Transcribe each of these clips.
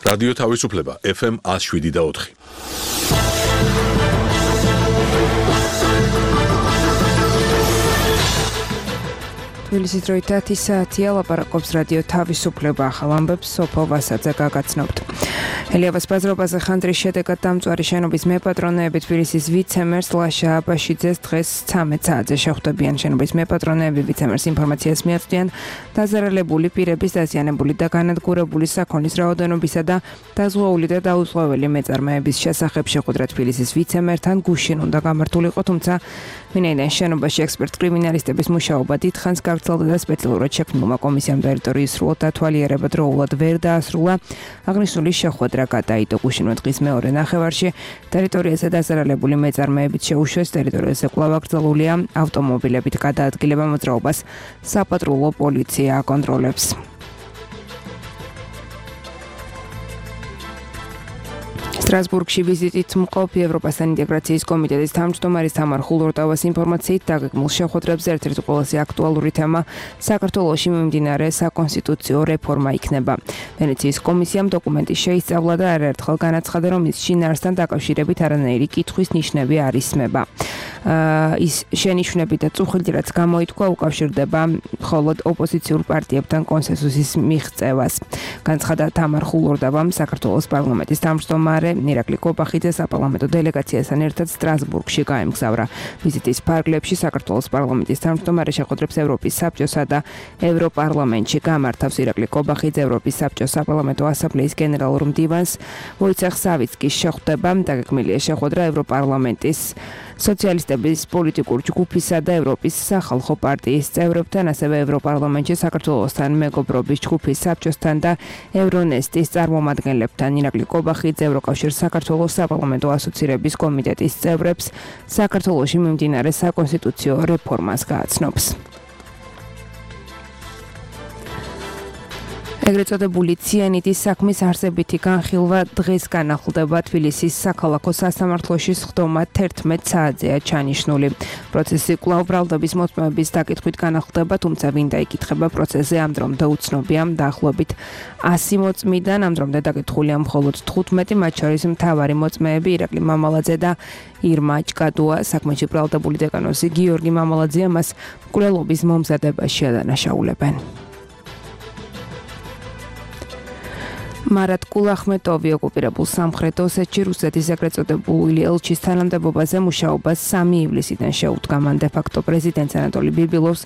რადიო თავისუფლება FM 107.4. თბილისის დროით 10 საათია, ლაპარაკობს რადიო თავისუფლება, ახალ ამბებს სოფო ვასაძე გაგაცნობთ. ელიაბას ბაზრობაზე ხანდრის შედეგად დამწვარი შენობის მეპატრონეები თბილისის ვიცემერს ლაშა აბაშიძეს დღეს 13 საათზე შეხვდებიან. შენობის მეპატრონეები ვიცემერს ინფორმაციას მიაწვდიან დაზარალებული პირების დაზიანებული და განადგურებული საქონლის რაოდენობისა და დაზღვეული და დაუწყოველი მეწარმეების შესახებ შეხვედრა თბილისის ვიცემერთან გუშინ უნდა გამართულიყო, თუმცა ვინაიდან შენობაში ექსპერტ კრიმინალისტების მუშაობა დიდხანს გავრცელდა და სპეციალურად შექმნილმა კომისიამ ტერიტორიის სრულად დათვალიერება დროულად ვერ დაასრულა, აღნიშნული შეხვედრა გადაიდო გუშინვე დღის მეორე ნახევარში. ტერიტორიაზე დაზარალებული მეწარმეებით შეუშვეს, ტერიტორიაზე კვლავ აკრძალულია ავტომობილებით გადაადგილება მოძრაობას საპატრულო პოლიცია აკონტროლებს. სტრასბურგში ვიზიტით მყოფი ევროპასთან ინტეგრაციის კომიტეტის თავმჯდომარის თამარ ხულორტავას ინფორმაციით დაგეგმილ შეხვედრებზე ერთ-ერთი ყველაზე აქტუალური თემა საქართველოში მიმდინარე საკონსტიტუციო რეფორმა იქნება. ვენეციის კომისიამ დოკუმენტი შეისწავლა და არაერთხელ განაცხადა, რომ ის შინაარსთან დაკავშირებით არანაირი კითხვის ნიშნები არ ისმება. ის შენიშვნები და წუხილი, რაც გამოითქვა, უკავშირდება მხოლოდ ოპოზიციურ პარტიებთან კონსენსუსის მიღწევას. განცხადა თამარ ხულორტავამ საქართველოს პარლამენტის თავმჯდომარე ირაკლი კობახიძე საპარლამენტო დელეგაციასთან ერთად სტრასბურგში გაემგზავრა. ვიზიტის ფარგლებში საქართველოს პარლამენტის თავმჯდომარე შეხვედრებს ევროპის საბჭოსა და ევროპარლამენტში გამართავს. ირაკლი კობახიძე ევროპის საბჭოს საპარლამენტო ასამბლეის გენერალურ მდივანს ვოიცეხ სავიცკის შეხვდება. დაგეგმილია შეხვედრა ევროპარლამენტის სოციალისტების პოლიტიკურ ჯგუფისა და ევროპის სახალხო პარტიის წევრებთან, ასევე ევროპარლამენტში საქართველოსთან მეგობრობის ჯგუფის საბჭოსთან და ევრონესტის წარმომადგენლებთან. ირაკლი კობახიძე ევროკავშირის საქართველოს საპარლამენტო ასოცირების კომიტეტის წევრებს საქართველოში მიმდინარე საკონსტიტუციო რეფორმას გააცნობს. ეგრეთ წოდებული ციანიდის საქმის არსებითი განხილვა დღეს განახლდება თბილისის საქალაქო სასამართლოში სხდომა 11 საათზეა ჩანიშნული. პროცესი კვლავ ბრალდების მოწმეების დაკითხვით განახლდება, თუმცა ვინ დაიკითხება პროცესზე ამ დრომდე უცნობია. დაახლოებით 100 მოწმიდან ამ დრომდე დაკითხულია მხოლოდ 15, მათ შორის მთავარი მოწმეები ირაკლი მამალაძე და ირმა ჭკადუა. საქმეში ბრალდებული დეკანოზი გიორგი მამალაძეა მას მკვლელობის მომზადებაში ადანაშაულებენ. მარატ კულახმეტოვი ოკუპირებულ სამხრეთ ოსეთში რუსეთის ეგრეთ წოდებული ელჩის თანამდებობაზე მუშაობას 3 ივლისიდან შეუდგა. მან დე-ფაქტო პრეზიდენტ ანატოლი ბიბილოვს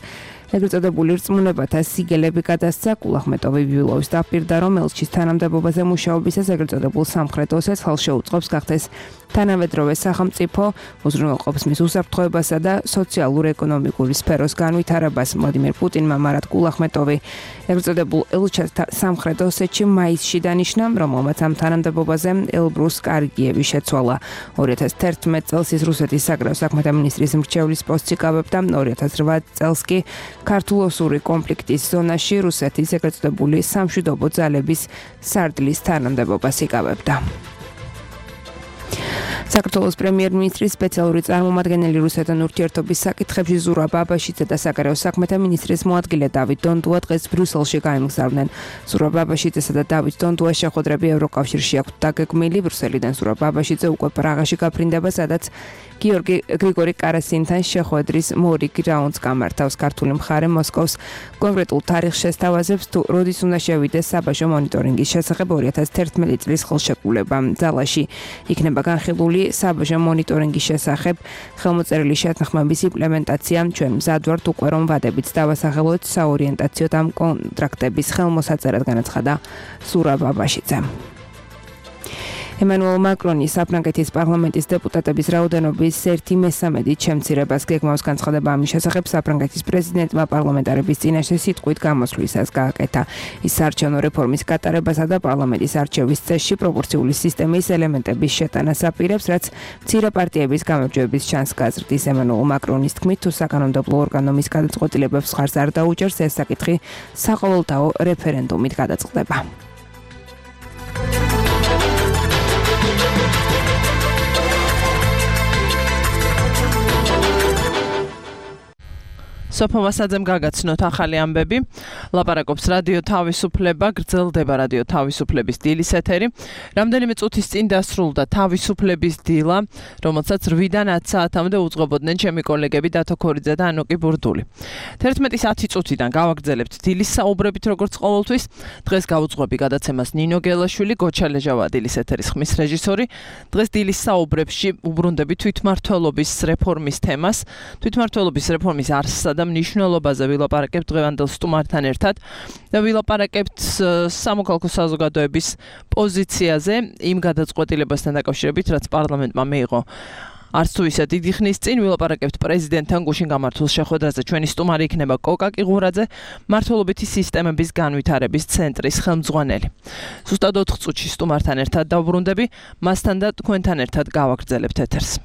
ეგრეთ წოდებული რწმუნებათა სიგელები გადასცა. კულახმეტოვი ბიბილოვის დაპირდა, რომ ელჩის თანამდებობაზე მუშაობისას ეგრეთ წოდებულ სამხრეთ ოსეთს ხალხს შეუწყობს გახდეს თანამედროვე სახელმწიფო, უზრუნველყოფს მის უსაფრთხოებასა და სოციალურ-ეკონომიკური სფეროს განვითარებას. ვლადიმერ პუტინმა მარატ კულახმეტოვი ეგრეთ წოდებულ ელჩს სამხრეთ ოსეთში მაისში დანიშნა, რომელმაც ამ თანამდებობაზე ელბრუს კარგიევი შეცვალა. 2011 წელს ის რუსეთის საგარეო საქმეთა მინისტრის მრჩევლის პოსტს იკავებდა. 2008 წელს კი ქართულ-ოსური კონფლიქტის ზონაში რუსეთის ეგრეთ წოდებული სამშვიდობო ძალების სარდლის თანამდებობას იკავებდა. საქართველოს პრემიერ-მინისტრის სპეციალური წარმომადგენელი რუსეთთან ურთიერთობის საკითხებში ზურაბ აბაშიძე და საგარეო საქმეთა მინისტრის მოადგილე დავით დონდუა დღეს ბრიუსელში გაემგზავრნენ. ზურაბ აბაშიძესა და დავით დონდუას შეხვედრები ევროკავშირში აქვთ დაგეგმილი. ბრიუსელიდან ზურაბ აბაშიძე უკვე პრაღაში გაფრინდება, სადაც გრიგორი კარასინთან შეხვედრის მორიგ რაუნდს გამართავს. ქართული მხარე მოსკოვს კონკრეტულ თარიღს შესთავაზებს, თუ როდის უნდა შევიდეს საბაჟო მონიტორინგის შესახებ 2011 წლის ხელშეკრულება. ძალაში იქნება განხილული საბაჟო მონიტორინგის შესახებ ხელმოწერილი შეთანხმების იმპლემენტაცია. ჩვენ მზად ვართ უკვე, რომ ვადებით დავასახელოთ საორიენტაციო და კონტრაქტების ხელმოსაწერად, განაცხადა ზურაბ აბაშიძემ. ემანუელ მაკრონი საფრანგეთის პარლამენტის დეპუტატების რაოდენობის 1/3 შემცირებას გეგმავს. განცხადება ამის შესახებ საფრანგეთის პრეზიდენტმა პარლამენტარების წინაშე სიტყვით გამოსვლისას გააკეთა. ის საარჩევნო რეფორმის გატარებასა და პარლამენტის არჩევის წესში პროპორციული სისტემის ელემენტების შეტანას აპირებს, რაც მცირე პარტიების გამარჯვების ჩანს გაზრდის. ემანუელ მაკრონის თქმით, თუ საკანონმდებლო ორგანომის გადაწყვეტილებებს ხარს არ დაუჭერს, ეს საკითხი საყოველთაო რეფერენდუმით გადაწყდება. სოფო ვასაძემ გაგაცნოთ ახალი ამბები. ლაპარაკობს რადიო თავისუფლება, გრძელდება რადიო თავისუფლების დილის ეთერი. რამდენიმე წუთის წინ დასრულდა თავისუფლების დილა, რომელსაც 8-დან 10 საათამდე უძღვებოდნენ ჩემი კოლეგები დათო ქორიძე და ანოკი ბურდული. 11:10 წუთიდან გავაგრძელებთ დილის საუბრებით როგორც ყოველთვის. დღეს გავუძღვები გადაცემას ნინო გელაშვილი, გოჩალეჟავა დილის ეთერის ხმის რეჟისორი. დღეს დილის საუბრებში უბრუნდები თვითმმართველობის რეფორმის თემას. თვითმმართველობის რეფორმის არსსა და მნიშვნელობაზე ვილაპარაკებთ დღევანდელ სტუმართან ერთად და ვილაპარაკებთ სამოქალაქო საზოგადოების პოზიციაზე იმ გადაწყვეტილებასთან დაკავშირებით, რაც პარლამენტმა მიიღო. არც თუ ისე დიდი ხნის წინ ვილაპარაკებთ პრეზიდენტთან გუშინ გამართულ შეხვედრაზე. ჩვენი სტუმარი იქნება კოკა კიღურაძე, მმართველობითი სისტემების განვითარების ცენტრის ხელმძღვანელი. ზუსტად 4 წუთში სტუმართან ერთად დავბრუნდები, მასთან და თქვენთან ერთად გავაგრძელებთ ეთერს.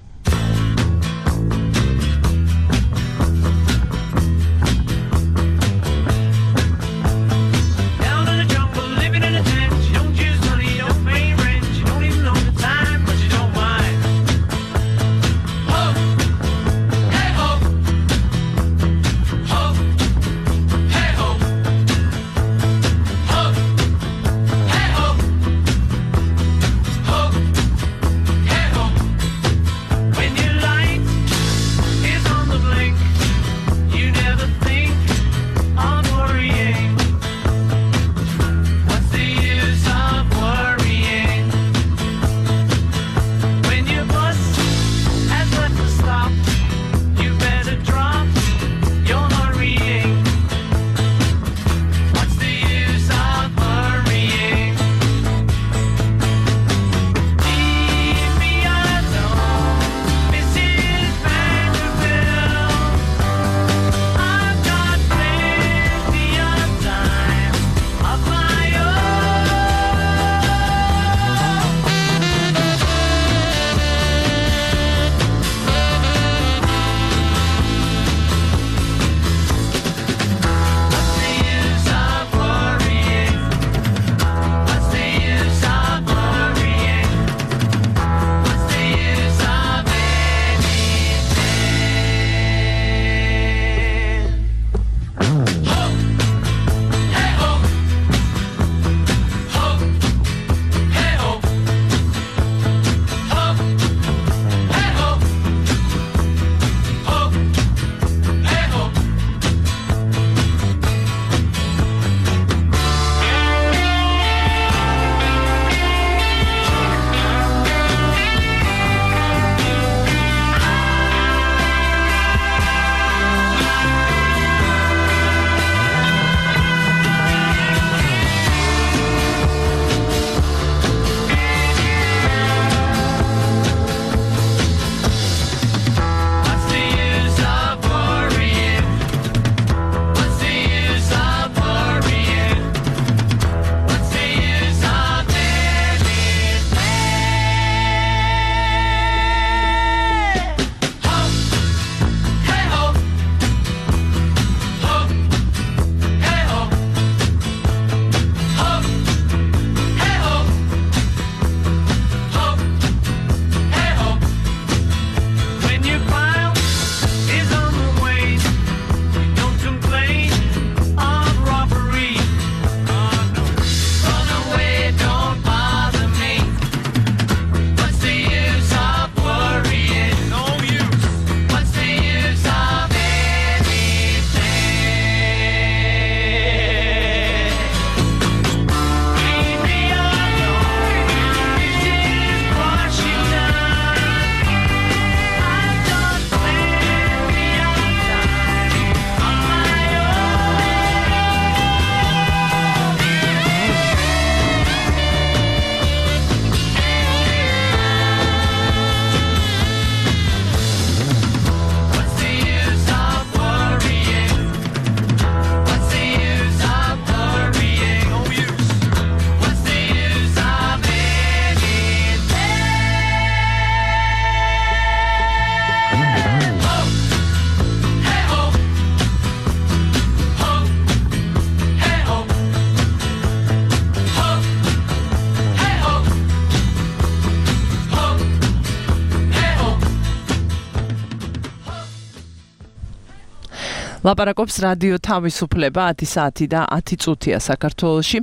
ლაპარაკობს რადიო თავისუფლება 10 საათი და 10 წუთია საქართველოში.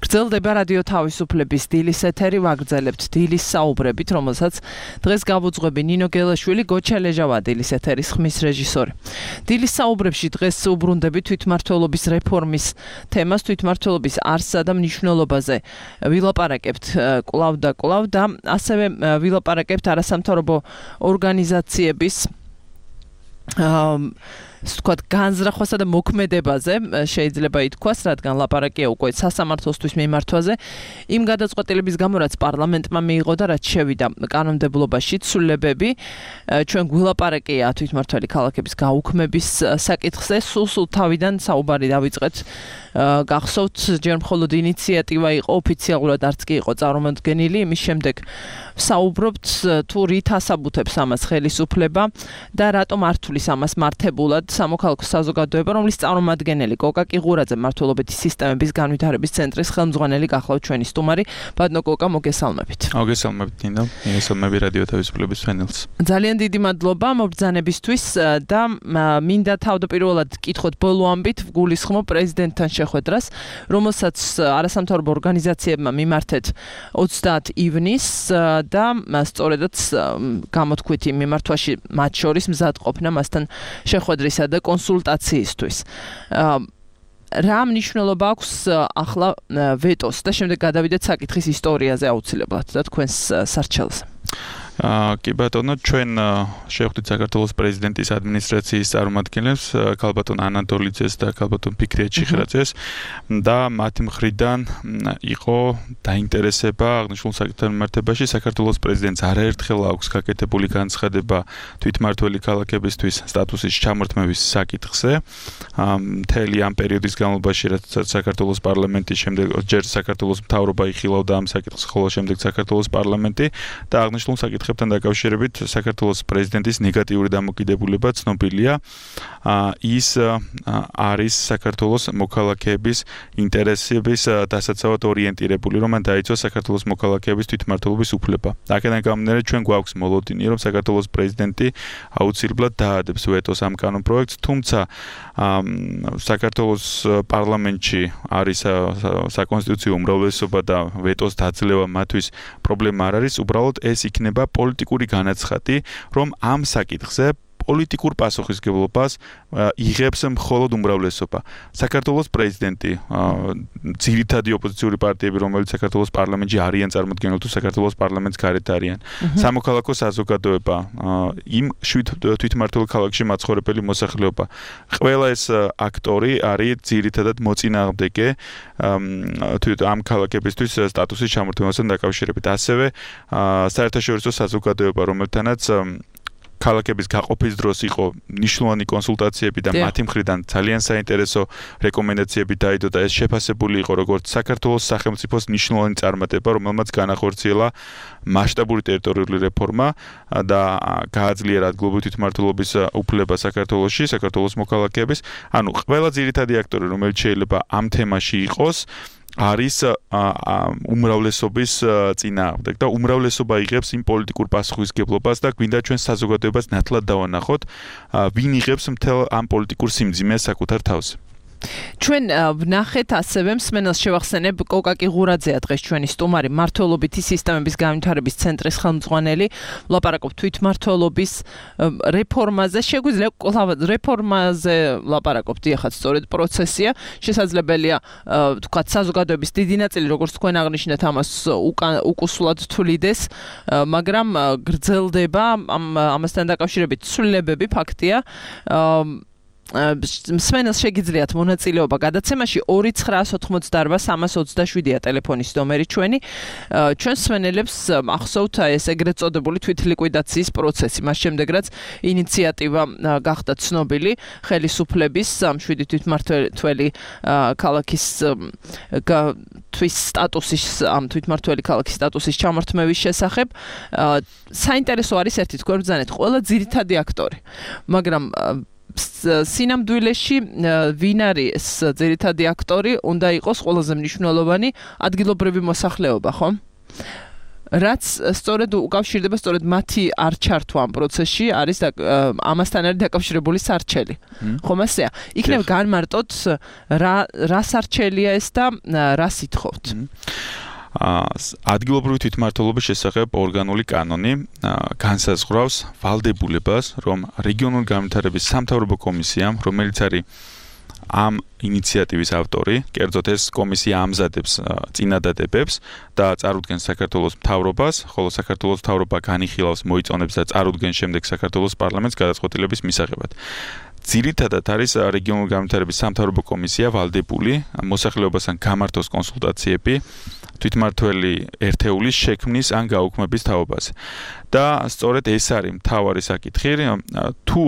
გრძელდება რადიო თავისუფლების დილის ეთერი, ვაგრძელებთ დილის საუბრებით, რომელსაც დღეს გავუძღვები ნინო გელაშვილი, გოჩა ლეჟავა დილის ეთერის ხმის რეჟისორი. დილის საუბრებში დღეს უბრუნდებით თვითმმართველობის რეფორმის თემას, თვითმმართველობის არსსა და მნიშვნელობაზე ვილაპარაკებთ კვლავ და ასევე ვილაპარაკებთ არასამთავრობო ორგანიზაციების ვთქვათ, განზრახვასა და მოქმედებაზე შეიძლება ითქვას, რადგან ლაპარაკია უკვე სასამართლოსთვის მიმართვაზე, იმ გადაწყვეტილების გამო, რაც პარლამენტმა მიიღო და რაც შევიდა კანონმდებლობაში ცვლილებები, ჩვენ გვილაპარაკია თვითმმართველი ქალაქების გაუქმების საკითხზე, სულ თავიდან საუბარი დავიწყეთ. გახსოვთ, ჯერ მხოლოდ ინიციატივა იყო, ოფიციალურად არც კი იყო წარმოდგენილი, იმის შემდეგ საუბრობთ თუ რით ასაბუთებს ამას ხელისუფლება და რატომ არ თulis ამას მართებულად სამოქალაქო საზოგადოება, რომლის წარმომადგენელი კოკა კიღურაძე მმართველობითი სისტემების განვითარების ცენტრის ხელმძღვანელი გახლავთ ჩვენი სტუმარი. ბატონო კოკა, მოგესალმებით. მოგესალმებით, ნინო. მოგესალმებით რადიო თავისუფლების ფენელს. ძალიან დიდი მადლობა მობრძანებისთვის და მინდა თავდაპირველად კითხოთ ბოლო ამბით ვგულისხმობ პრეზიდენტთან შეხვედრას, რომელსაც არასამთავრობო ორგანიზაციებმა მიმართეთ 30 ივნისს და სწორედაც გამოთქვით იმ მიმართვაში მათ შორის მზადყოფნა მასთან შეხვედრისა და კონსულტაციისთვის. რა მნიშვნელობა აქვს ახლა ვეტოს და შემდეგ გადავიდეთ საკითხის ისტორიაზე აუცილებლად და თქვენს სარჩელზე. კი ბატონო, ჩვენ შევხვდით საქართველოს პრეზიდენტის ადმინისტრაციის წარმომადგენლებს, ქალბატონ ანატოლიძეს და ქალბატონ ფიქრია ჩიხრაძეს და მათი მხრიდან იყო დაინტერესება აღნიშნულ საკითხთან მიმართებაში. საქართველოს პრეზიდენტს არაერთხელ აქვს გაკეთებული განცხადება თვითმმართველი ქალაქებისთვის სტატუსის ჩამორთმევის საკითხზე. მთელი ამ პერიოდის განმავლობაში, რაც საქართველოს პარლამენტის შემდეგ ჯერ საქართველოს მთავრობა იხილავდა ამ საკითხს, ხოლო შემდეგ საქართველოს პარლამენტი და აღნიშნულ საკითხებთან დაკავშირებით საქართველოს პრეზიდენტის ნეგატიური დამოკიდებულება ცნობილია. ის არის საქართველოს მოქალაქეების ინტერესების დასაცავად ორიენტირებული, რომ მან დაიცვა საქართველოს მოქალაქეების თვითმმართველობის უფლება. აქედან გამომდინარე, ჩვენ გვაქვს მოლოდინი, რომ საქართველოს პრეზიდენტი აუცილებლად დაადებს ვეტოს ამ კანონპროექტს, თუმცა საქართველოს პარლამენტში არის საკონსტიტუციო უმრავლესობა და ვეტოს დაძლევა მათთვის პრობლემა არ არის, უბრალოდ ეს იქნება პოლიტიკური განაცხადი, რომ ამ საკითხზე პოლიტიკურ პასუხისმგებლობას იღებს მხოლოდ უმრავლესობა. საქართველოს პრეზიდენტი, ძირითადი ოპოზიციური პარტიები, რომელიც საქართველოს პარლამენტში არიან წარმოდგენილ თუ საქართველოს პარლამენტს გარეთ არიან. სამოქალაქო საზოგადოება, იმ 7 თვითმმართველ ქალაქში მაცხოვრებელი მოსახლეობა. ყველა ეს აქტორი არის ძირითადად მოწინააღმდეგე ამ ქალაქებისთვის სტატუსის ჩამორთმევასთან დაკავშირებით. ასევე საერთაშორისო საზოგადოება, რომელთანაც ქალაქების გაყოფის დროს იყო მნიშვნელოვანი კონსულტაციები და მათი მხრიდან ძალიან საინტერესო რეკომენდაციები დაიდო და ეს შეფასებული იყო როგორც საქართველოს სახელმწიფოს მნიშვნელოვანი წარმატება, რომელმაც განახორციელა მასშტაბური ტერიტორიული რეფორმა და გააძლიერა ადგილობრივი თვითმმართველობის უფლება საქართველოში, საქართველოს მოქალაქეების. ანუ ყველა ძირითადი აქტორი, რომელიც შეიძლება ამ თემაში იყოს, არის უმრავლესობის წინააღმდეგ და უმრავლესობა იღებს იმ პოლიტიკურ პასუხისმგებლობას და გვინდა ჩვენ საზოგადოებას ნათლად დავანახოთ, ვინ იღებს მთელ ამ პოლიტიკურ სიმძიმეს საკუთარ თავზე. ჩვენ ვნახეთ ასევე მსმენელს შევახსენებ კოკა კიღურაძეა დღეს ჩვენი სტუმარი, მმართველობითი სისტემების განვითარების ცენტრის ხელმძღვანელი, ვლაპარაკობთ თვითმმართველობის რეფორმაზე. შეგვიძლია რეფორმაზე ვლაპარაკობთ, ეხლა სწორედ პროცესია, შესაძლებელია თქვათ საზოგადოების დიდი ნაწილი, როგორც თქვენ აღნიშნეთ, ამას უკუსულად თვლიდეს, მაგრამ გრძელდება ამასთან დაკავშირებით ცვლილებები, ფაქტია. მსმენელს შეგიძლიათ მონაწილეობა გადაცემაში 2988327-ია ტელეფონის ნომერი ჩვენი. ჩვენ მსმენელებს ახსოვთ ეს ეგრეთ წოდებული თვითლიკვიდაციის პროცესი, მას შემდეგ რაც ინიციატივა გახდა ცნობილი ხელისუფლების 7 თვითმმართველი ქალაქის თვის სტატუსის ამ თვითმმართველი ქალაქის სტატუსის ჩამორთმევის შესახებ. საინტერესო არის ერთი თქვენ ბრძანეთ ყველა ძირითადი აქტორი, მაგრამ სინამდვილეში ვინ არის ძირითადი აქტორი, უნდა იყოს ყველაზე მნიშვნელოვანი ადგილობრივი მოსახლეობა, ხო? რაც სწორედ უკავშირდება სწორედ მათი არ ჩართვა ამ პროცესში არის ამასთან არის დაკავშირებული სარჩელი. ხომ ასეა? იქნებ განმარტოთ რა სარჩელია ეს და რა სიტყვით? ადგილობრივი თვითმმართველობის შესახებ ორგანული კანონი განსაზღვრავს ვალდებულებას, რომ რეგიონული განვითარების სამთავრობო კომისიამ, რომელიც არის ამ ინიციატივის ავტორი, კერძოდ ეს კომისია ამზადებს წინადადებებს და წარუდგენს საქართველოს მთავრობას, ხოლო საქართველოს მთავრობა განიხილავს, მოიწონებს და წარუდგენს შემდეგ საქართველოს პარლამენტს გადაწყვეტილების მისაღებად. ძირითადად არის რეგიონული განვითარების სამთავრობო კომისია ვალდებული მოსახლეობასთან გამართოს კონსულტაციები თვითმმართველი ერთეულის შექმნის ან გაუქმების თაობაზე. და სწორედ ეს არის მთავარი საკითხი, თუ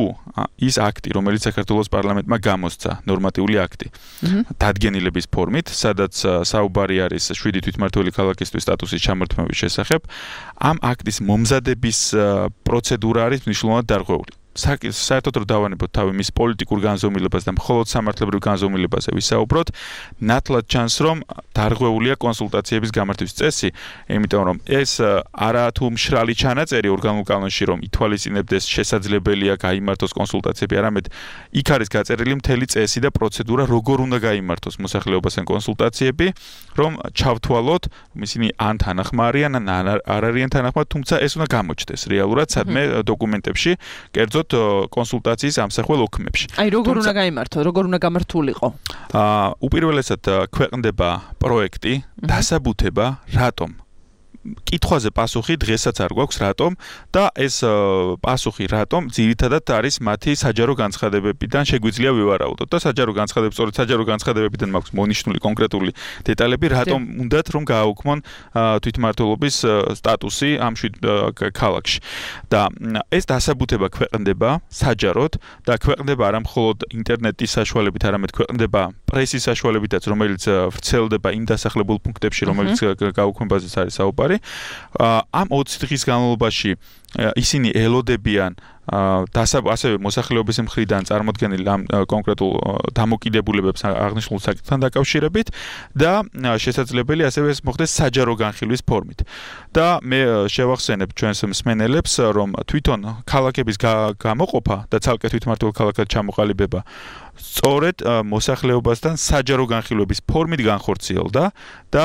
ის აქტი, რომელიც საქართველოს პარლამენტმა გამოსცა, ნორმატიული აქტი, დადგენილების ფორმით, სადაც საუბარი არის 7 თვითმმართველი ქალაქისთვის სტატუსის ჩამორთმევის შესახებ, ამ აქტის მომზადების პროცედურა არის მნიშვნელოვნად დარღვეული. საერთოდ რომ დავანებოთ თავი მის პოლიტიკურ განზომილებას და მხოლოდ სამართლებრივ განზომილებაზე ვისაუბროთ, ნათლად ჩანს, რომ დარღვეულია კონსულტაციების გამართვის წესი, იმიტომ რომ ეს არაა თუ მშრალი ჩანაწერი ორგანულ კანონში, რომ ითვალისწინებდეს შესაძლებელია გაიმართოს კონსულტაციები, არამედ იქ არის გაწერილი მთელი წესი და პროცედურა, როგორ უნდა გაიმართოს მოსახლეობასთან კონსულტაციები, რომ ჩავთვალოთ, ისინი ან თანახმა არიან, ან არ არიან თანახმა, თუმცა ეს უნდა გამოჩნდეს რეალურად სადმე დოკუმენტებში, კერძოდ კონსულტაციის ამსახველ ოქმებში. აი როგორ უნდა გაიმართო, როგორ უნდა გამართულიყო? უპირველესად ქვეყნდება პროექტი, დასაბუთება, რატომ? კითხვაზე პასუხი დღესაც არ გვაქვს რატომ და ეს პასუხი რატომ ძირითადად არის მათი საჯარო განცხადებებიდან შეგვიძლია ვივარაუდოთ და საჯარო განცხადებები სწორედ საჯარო განცხადებებიდან მაქვს მონიშნული კონკრეტული დეტალები რატომ უნდათ რომ გააუქმონ თვითმმართველობის სტატუსი ამ ქალაქში და ეს დასაბუთება ქვეყნდება საჯაროდ და ქვეყნდება არა მხოლოდ ინტერნეტის საშუალებით არამედ ქვეყნდება პრესის საშუალებითაც რომელიც ვრცელდება იმ დასახლებულ პუნქტებში რომელიც გაუქმებაზე არის საუბარი ამ 20 დღის განმავლობაში ისინი ელოდებიან ასევე მოსახლეობის მხრიდან წარმოდგენილ ამ კონკრეტულ დამოკიდებულებებს აღნიშნულ საკითხთან დაკავშირებით და შესაძლებელი ასევე ეს მოხდეს საჯარო განხილვის ფორმით. და მე შევახსენებ ჩვენს მსმენელებს, რომ თვითონ ქალაქების გამოყოფა და ცალკე თვითმმართველ ქალაქად ჩამოყალიბება სწორედ მოსახლეობასთან საჯარო განხილვების ფორმით განხორციელდა და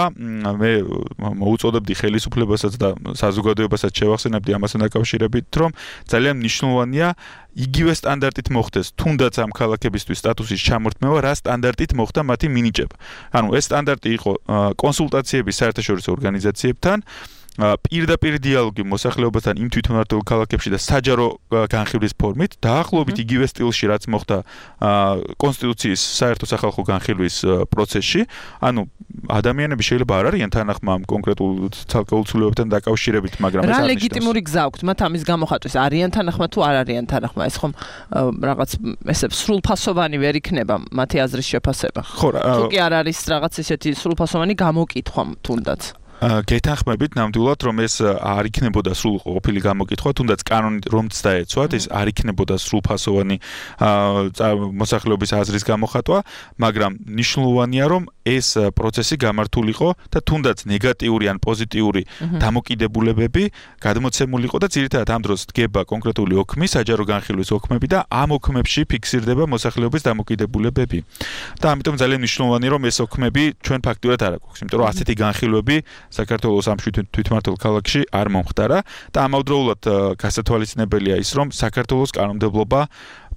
მე მოუწოდებდი ხელისუფლებასაც და საზოგადოებასაც შევახსენებდი ამასთან დაკავშირებით, რომ ძალიან მნიშვნელოვანია იგივე სტანდარტით მოხდეს თუნდაც ამ ქალაქებისთვის სტატუსის ჩამორთმევა, რა სტანდარტით მოხდა მათი მინიჭება. ანუ ეს სტანდარტი იყო კონსულტაციები საერთაშორისო ორგანიზაციებთან, პირდაპირ დიალოგი მოსახლეობასთან იმ თვითმმართველ ქალაქებში და საჯარო განხილვის ფორმით, დაახლოებით იგივე სტილში, რაც მოხდა კონსტიტუციის საერთო სახალხო განხილვის პროცესში. ანუ ადამიანები შეიძლება არ არიან თანახმა ამ კონკრეტულ ცალკეულ ცვლილებებთან დაკავშირებით, მაგრამ ეს რა ლეგიტიმური გზა აქვს მათ ამის გამოხატვის? არიან თანახმა თუ არ არიან თანახმა? ეს ხომ რაღაც ესე სრულფასოვანი ვერ იქნება მათი აზრის შეფასება. თუ კი არ არის რაღაც ესეთი სრულფასოვანი გამოკითხვა თუნდაც. გეთანხმებით ნამდვილად რომ ეს არ იქნებოდა სრულყოფილი გამოკითხვა, თუნდაც კანონით რომც დაეცვათ, ეს არ იქნებოდა სრულფასოვანი მოსახლეობის აზრის გამოხატვა, მაგრამ მნიშვნელოვანია რომ ეს პროცესი გამართულიყო და თუნდაც ნეგატიური ან პოზიტიური დამოკიდებულებები გადმოცემულიყო და ძირითადად ამ დროს დგება კონკრეტული ოქმი, საჯარო განხილვის ოქმები და ამ ოქმებში ფიქსირდება მოსახლეობის დამოკიდებულებები. და ამიტომ ძალიან მნიშვნელოვანია რომ ეს ოქმები ჩვენ ფაქტურად არ აქვს, იმიტომ რომ ასეთი განხილვები საქართველოს ამ თვითმმართველ ქალაქში არ მომხდარა და ამავდროულად გასათვალისწინებელია ის რომ საქართველოს კანონმდებლობა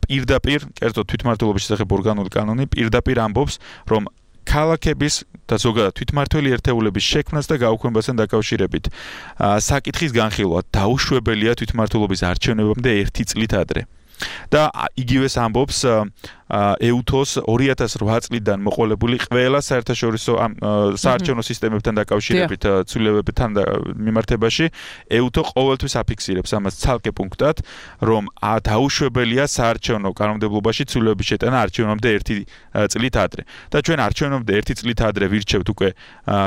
პირდაპირ, კერძოდ თვითმმართველობის შესახებ ორგანული კანონი პირდაპირ ამბობს რომ ქალაქების და ზოგადად თვითმმართველი ერთეულების შექმნას და გაუქმებასთან დაკავშირებით საკითხის განხილვა დაუშვებელია თვითმმართველობის არჩევნებამდე 1 წლით ადრე. და იგივეს ამბობს EUTOS 2008 წლიდან მოყოლებული ყველა საერთაშორისო საარჩევნო სისტემებთან დაკავშირებით ცვლილებებთან მიმართებაში EUTO ყოველთვის აფიქსირებს ამას ცალკე პუნქტად, რომ დაუშვებელია საარჩევნო კანონმდებლობაში ცვლილებების შეტანა არჩევნამდე 1 წლით ადრე. და ჩვენ არჩევნამდე 1 წლით ადრე ვირჩევთ უკვე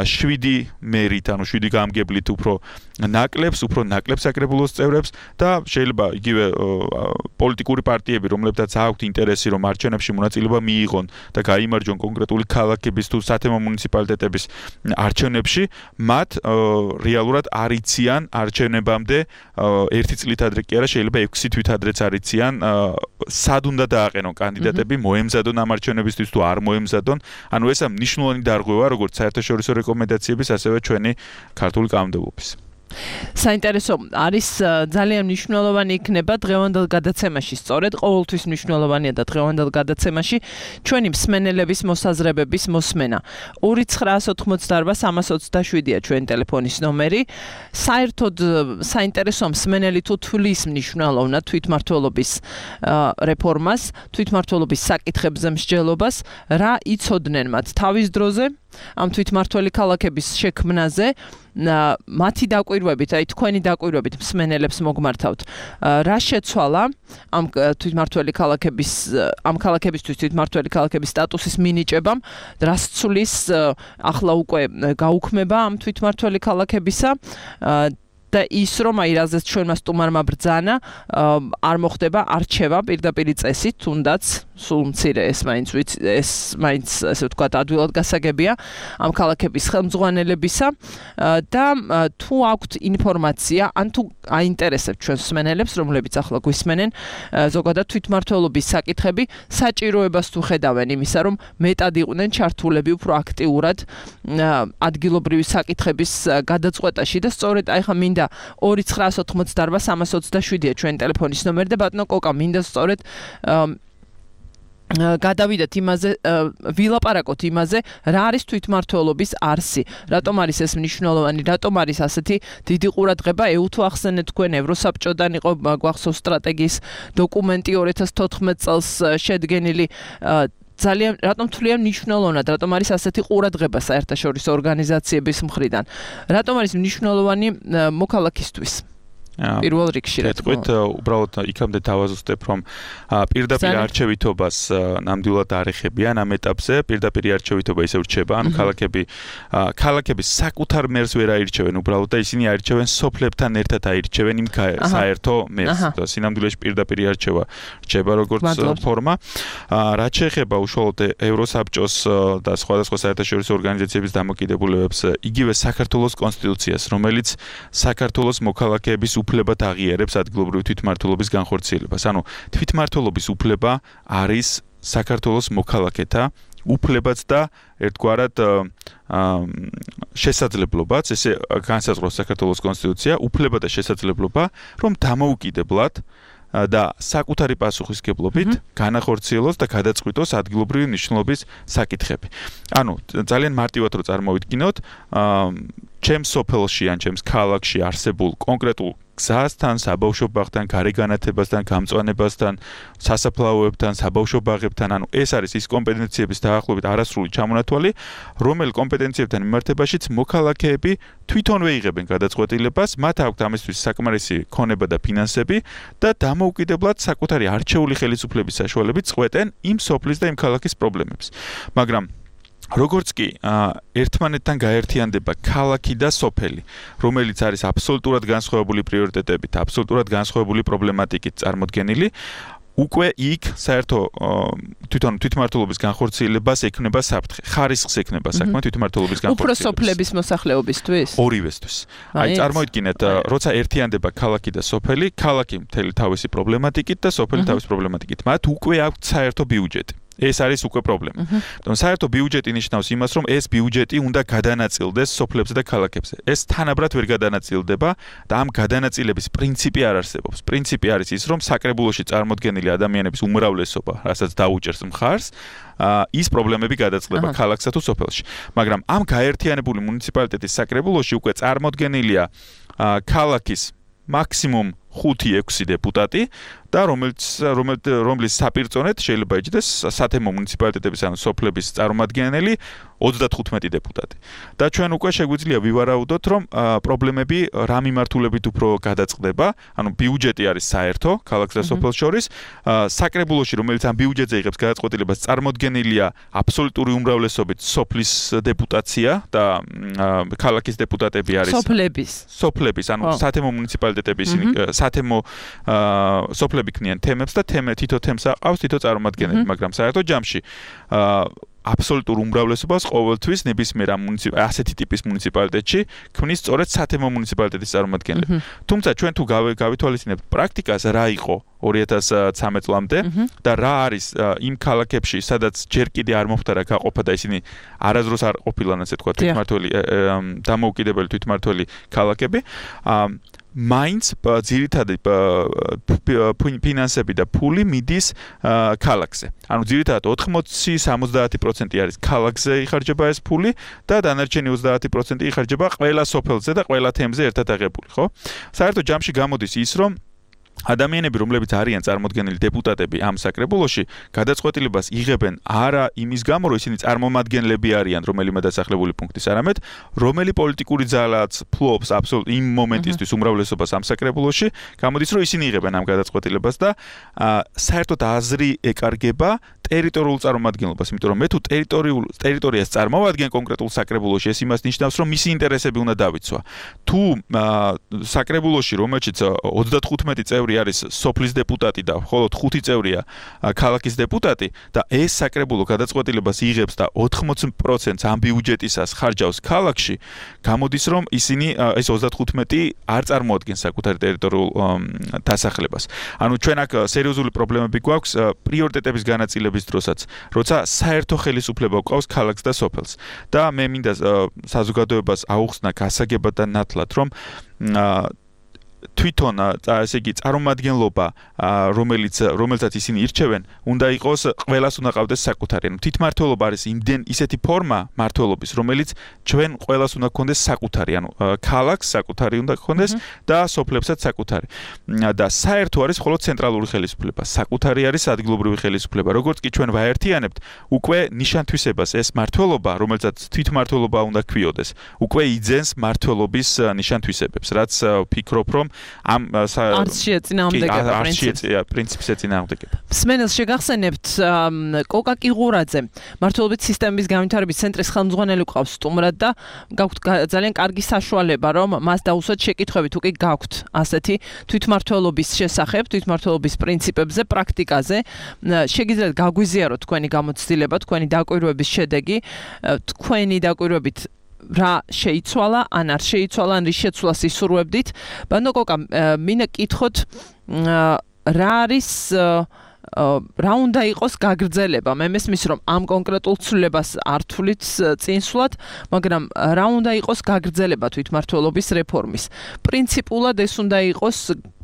7 მერით, ანუ 7 გამგებლით უფრო ნაკლებს საკრებულოს წევრებს და შეიძლება იგივე პოლიტიკური პარტიები, რომლებთაც აქვთ ინტერესი, რომ არჩევნები არჩევნებში მონაწილეობა მიიღონ და გაიმარჯვონ კონკრეტული ქალაქების თუ სათემო მუნიციპალიტეტების არჩევნებში, მათ რეალურად არ იციან არჩევნებამდე 1 წლით ადრე კი არა, შეიძლება 6 თვით ადრეც არ იციან სად უნდა დააყენონ კანდიდატები, მოემზადონ ამ არჩევნებისთვის თუ არ მოემზადონ. ანუ ეს მნიშვნელოვანი დარღვევა როგორც საერთაშორისო რეკომენდაციების, ასევე ჩვენი ქართული კანონმდებლობის. საინტერესო არის ძალიან მნიშვნელოვანი იქნება დღევანდელ გადაცემაში, სწორედ ყოველთვის მნიშვნელოვანია და დღევანდელ გადაცემაში ჩვენი მსმენელების მოსაზრებების მოსმენა. 2988327-ია ჩვენი ტელეფონის ნომერი. საერთოდ საინტერესო მსმენელი თუ თვლის მნიშვნელოვნად თვითმმართველობის რეფორმას, თვითმმართველობის საკითხებზე მსჯელობას, რა იცოდნენ მათ თავის დროზე ამ თვითმმართველი ქალაქების შექმნაზე, მათი დაკვირვებით, აი თქვენი დაკვირვებით მსმენელებს მოგმართავთ. რა შეცვალა ამ თვითმმართველი ქალაქების ამ ქალაქებისთვის თვითმმართველი ქალაქების სტატუსის მინიჭებამ, რას ცვლის ახლა უკვე გაუქმება ამ თვითმმართველი ქალაქებისა და ის რომ აი რაზეც ჩვენმა სტუმარმა ბრძანა არ მოხდება არჩევა პირდაპირ წესით, თუნდაც სულ მცირე ეს მაინც ასე ვთქვათ ადვილად გასაგებია ამ ქალაქების ხელმძღვანელებისა და თუ აქვთ ინფორმაცია ან თუ აინტერესებთ ჩვენს მსმენელებს, რომლებიც ახლა გვისმენენ ზოგადად თვითმმართველობის საკითხები, საჭიროებას თუ ხედავენ იმისა, რომ მეტად იყვნენ ჩართულები უფრო აქტიურად ადგილობრივი საკითხების გადაწყვეტაში და სწორედ აი ხა მინდა 2988327-ია ჩვენი ტელეფონის ნომერი და ბატონო კოკა მინდა სწორედ გადავიდეთ იმაზე, ვილაპარაკოთ იმაზე, რა არის თვითმმართველობის არსი, რატომ არის ეს მნიშვნელოვანი, რატომ არის ასეთი დიდი ყურადღება, თუ ახსენეთ თქვენ ევროსაბჭოდან იყო გვახსოვს სტრატეგიის დოკუმენტი 2014 წელს შედგენილი ძალიან რატომ თვლიან მნიშვნელოვნად, რატომ არის ასეთი ყურადღება საერთაშორისო ორგანიზაციების მხრიდან, რატომ არის მნიშვნელოვანი მოქალაქისთვის? პირველ რიგში რა თქმა უნდა. უბრალოდ იქამდე დავაზუსტებ, რომ პირდაპირ არჩევითობას ნამდვილად არ ეხებიან ამ ეტაპზე, პირდაპირ არჩევითობა ისევ რჩება, ანუ ქალაქები საკუთარ მერს ვერ აირჩევენ უბრალოდ და ისინი აირჩევენ სოფლებთან ერთად აირჩევენ იმ საერთო მერს. და სინამდვილეში პირდაპირ არჩევა რჩება როგორც ფორმა. რაც შეეხება უშუალოდ ევროსაბჭოს და სხვადასხვა საერთაშორისო ორგანიზაციების დამოკიდებულებებს, იგივე საქართველოს კონსტიტუციას, რომელიც საქართველოს მოქალაქეების უფლებად აღიარებს ადგილობრივი თვითმმართველობის განხორციელებას. ანუ თვითმმართველობის უფლება არის საქართველოს მოქალაქეთა უფლებაც და ერთგვარად შესაძლებლობაც, ესე განსაზღვრავს საქართველოს კონსტიტუცია, უფლება და შესაძლებლობა, რომ დამოუკიდებლად და საკუთარი პასუხისგებლობით განახორციელოს და გადაწყვიტოს ადგილობრივი მნიშვნელობის საკითხები. ანუ ძალიან მარტივად რო წარმოვიდგინოთ, ჩემს სოფელში ან ჩემს ქალაქში არსებულ კონკრეტულ გზასთან, საბავშვო ბაღთან, გარეგანათებასთან, გამწვანებასთან, სასაფლაოებთან, საბავშვო ბაღებთან, ანუ ეს არის ის კომპეტენციების დაახლოებით არასრული ჩამონათვალი, რომელ კომპეტენციებთან მიმართებაშიც მოქალაქეები თვითონვე იღებენ გადაწყვეტილებას, მათ აქვთ ამისთვის საკმარისი ქონება და ფინანსები და დამოუკიდებლად საკუთარი არჩეული ხელისუფლების საშუალებით წყვეტენ იმ სოფლის და იმ ქალაქის პრობლემებს. მაგრამ როგორც კი ერთმანეთთან გაერთიანდება ქალაქი და სოფელი, რომელიც არის აბსოლუტურად განსხვავებული პრიორიტეტებით, აბსოლუტურად განსხვავებული პრობლემატიკით წარმოდგენილი, უკვე იქ საერთო თვითმმართველობის განხორციელებას ექნება საფრთხე, ხარისხს ექნება საქმე თვითმმართველობის განხორციელებას. უფრო სოფლების მოსახლეობისთვის? ორივესთვის. აი წარმოიდგინეთ, როცა ერთიანდება ქალაქი და სოფელი, ქალაქი მთელი თავისი პრობლემატიკით და სოფელი თავის პრობლემატიკით. მათ უკვე აქვთ საერთო ბიუჯეტი. ეს არის უკვე პრობლემა. საერთო ბიუჯეტი ნიშნავს იმას, რომ ეს ბიუჯეტი უნდა გადანაწილდეს სოფლებზე და ქალაქებზე. ეს თანაბრად ვერ გადანაწილდება და ამ გადანაწილების პრინციპი არ არსებობს. პრინციპი არის ის, რომ საკრებულოში წარმოდგენილი ადამიანების უმრავლესობა, რასაც დაუჭერს მხარს, ის პრობლემები გადაწყდება ქალაქსა თუ სოფელში. მაგრამ ამ გაერთიანებული მუნიციპალიტეტის საკრებულოში უკვე წარმოდგენილია ქალაქის მაქსიმუმ 5-6 დეპუტატი და რომლის საპირწონედ შეიძლება იჯდეს სათემო მუნიციპალიტეტების ან სოფლების წარმომადგენელი 35 დეპუტატი. და ჩვენ უკვე შეგვიძლია ვივარაუდოთ, რომ პრობლემები რა მიმართულებით უფრო გადაწყდება, ანუ ბიუჯეტი არის საერთო ქალაქს და სოფელს შორის, საკრებულოში, რომელიც ამ ბიუჯეტზე იღებს გადაწყვეტილებას, წარმოდგენილია აბსოლუტური უმრავლესობით სოფლის დეპუტაცია და ქალაქის დეპუტატები არის სოფლების, ანუ სათემო მუნიციპალიტეტების სათემო სოფლები წევრები ქმნიან თემებს და თითო თემს აყავს თითო წარმომადგენელი, მაგრამ საერთო ჯამში აბსოლუტურ უმრავლესობას ყოველთვის ნებისმიერ ასეთი ტიპის მუნიციპალიტეტში ქმნის სწორედ სათემო მუნიციპალიტეტის წარმომადგენლები. თუმცა ჩვენ თუ გავითვალისწინებთ პრაქტიკას რა იყო 2013 წლამდე და რა არის იმ ქალაქებში, სადაც ჯერ კიდე არ მოხდა გაყოფა და ისინი არასდროს არ ყოფილან ასე თქვა თვითმმართველი დამოუკიდებელი თვითმმართველი ქალაქები, მაინც ძირითადი ფინანსები და ფული მიდის ქალაქზე. ანუ ძირითადად 80-70% არის ქალაქზე იხარჯება ეს ფული და დანარჩენი 30% იხარჯება ყველა სოფელზე და ყველა თემზე ერთად აღებული, ხო? საერთო ჯამში გამოდის ის, რომ ადამიანები, რომლებიც არიან წარმოდგენილი დეპუტატები ამ საკრებულოში, გადაწყვეტილებას იღებენ არა იმის გამო, რომ ისინი წარმომადგენლები არიან რომელიმე დასახლებული პუნქტის, არამედ რომელი პოლიტიკური ძალაც ფლობს აბსოლუტ იმ მომენტისთვის უმრავლესობას ამ საკრებულოში, გამოდის, რომ ისინი იღებენ ამ გადაწყვეტილებას და საერთოდ აზრი ეკარგება ტერიტორიულ წარმომადგენლობას, იმიტომ რომ მე თუ ტერიტორიას წარმოვადგენ კონკრეტულ საკრებულოში, ეს იმას ნიშნავს, რომ მისი ინტერესები უნდა დავიცვა. თუ საკრებულოში, რომელშიც 35 წევრი არის სოფლის დეპუტატი და მხოლოდ 5 წევრია ქალაქის დეპუტატი და ეს საკრებულო გადაწყვეტილებას იღებს და 80% ამ ბიუჯეტისას ხარჯავს ქალაქში, გამოდის, რომ ისინი ეს 35 არ წარმოადგენს საკუთარ ტერიტორიულ დასახლებას. ანუ ჩვენ აქ სერიოზული პრობლემები გვაქვს პრიორიტეტების განაწილების დროსაც, როცა საერთო ხელისუფლება გვყავს ქალაქს და სოფელს. და მე მინდა საზოგადოებას აუხსნა გასაგებად და ნათლად, რომ თვითონ ესე იგი წარმომადგენლობა რომელსაც ისინი ირჩევენ უნდა იყოს ყველას უნდა ყავდეს საკუთარი ანუ თვითმმართველობა არის იმდენ ისეთი ფორმა მმართველობის რომელიც ჩვენ ყველას უნდა გქონდეს საკუთარი ანუ ქალაქს საკუთარი უნდა გქონდეს და სოფლებსაც საკუთარი და საერთო არის მხოლოდ ცენტრალური ხელისუფლება საკუთარი არის ადგილობრივი ხელისუფლება როგორც კი ჩვენ ვაერთიანებთ უკვე ნიშანთვისებას ეს მმართველობა რომელსაც თვითმმართველობა უნდა ქვიოდეს უკვე იძენს მმართველობის ნიშანთვისებებს რაც ვფიქრობ რომ ამ არც შეეწინააღმდეგება პრინციპს ეწინააღმდეგება. სმენელს შეგახსენებთ კოკა კიღურაძე მმართველობის სისტემის განვითარების ცენტრის ხელმძღვანელი ყავს სტუმრად და გაქვთ ძალიან კარგი საშუალება რომ მას დაუსვათ შეკითხვები თუ კი გაქვთ ასეთი თვითმმართველობის შესახებ, თვითმმართველობის პრინციპებზე, პრაქტიკაზე. შეგიძლიათ გაგვიზიაროთ თქვენი გამოცდილება, თქვენი დაკვირვების შედეგი, თქვენი დაკვირვებით რა შეიცვალა, ან არ შეიცვალა, ან რის შეცვლას ისურვებდით. ბანო კოკა, მინდა კითხოთ, რა არის რა უნდა იყოს გაგრძელება? მე მესმის რომ ამ კონკრეტულ ცვლილებას არ თვლით წინსვლად, მაგრამ რა უნდა იყოს გაგრძელება თვითმმართველობის რეფორმის? პრინციპულად ეს უნდა იყოს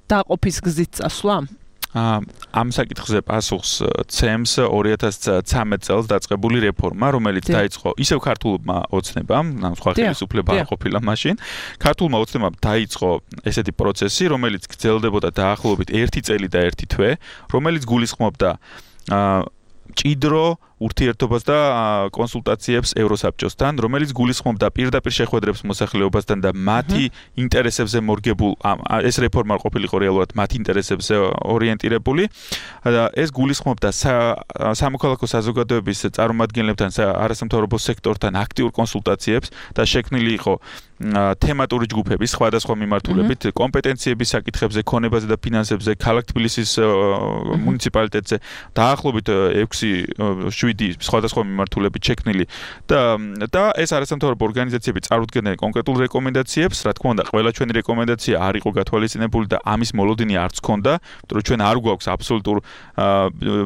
დაყოფის გზით წასვლა? ამ საკითხზე პასუხს ცემს 2013 წელს დაწყებული რეფორმა, რომელიც დაიწყო ისევ ქართულმა ოცნებამ, ანუ სხვა ხელისუფლება არ ყოფილა მაშინ. ქართულმა ოცნებამ დაიწყო ესეთი პროცესი, რომელიც გრძელდებოდა დაახლოებით 1 წელი და 1 თვე, რომელიც გულისხმობდა ჭიდრო ურთიერთობას და კონსულტაციებს ევროსაბჭოსთან, რომელიც გულისხმობდა პირდაპირ შეხვედრებს მოსახლეობასთან და მათი ინტერესებზე მორგებულ ეს რეფორმა ყოფილიყო რეალურად მათი ინტერესებზე ორიენტირებული და ეს გულისხმობდა სამოქალაქო საზოგადოების წარმომადგენლებთან, არასამთავრობო სექტორთან აქტიურ კონსულტაციებს და შექმნილი იყო თემატური ჯგუფები სხვადასხვა მიმართულებით კომპეტენციების საკითხებზე, ქონებაზე და ფინანსებზე, ქალაქ თბილისის მუნიციპალიტეტზე დაახლოებით 6-7 სხვადასხვა მიმართულებით შექმნილი და ეს არასამთავრობო ორგანიზაციები წარუდგენდნენ კონკრეტულ რეკომენდაციებს, რა თქმა უნდა, ყველა ჩვენი რეკომენდაცია არ იყო გათვალისწინებული და ამის მოლოდინი არც ქონდა, იმიტომ რომ ჩვენ არ გვაქვს აბსოლუტურ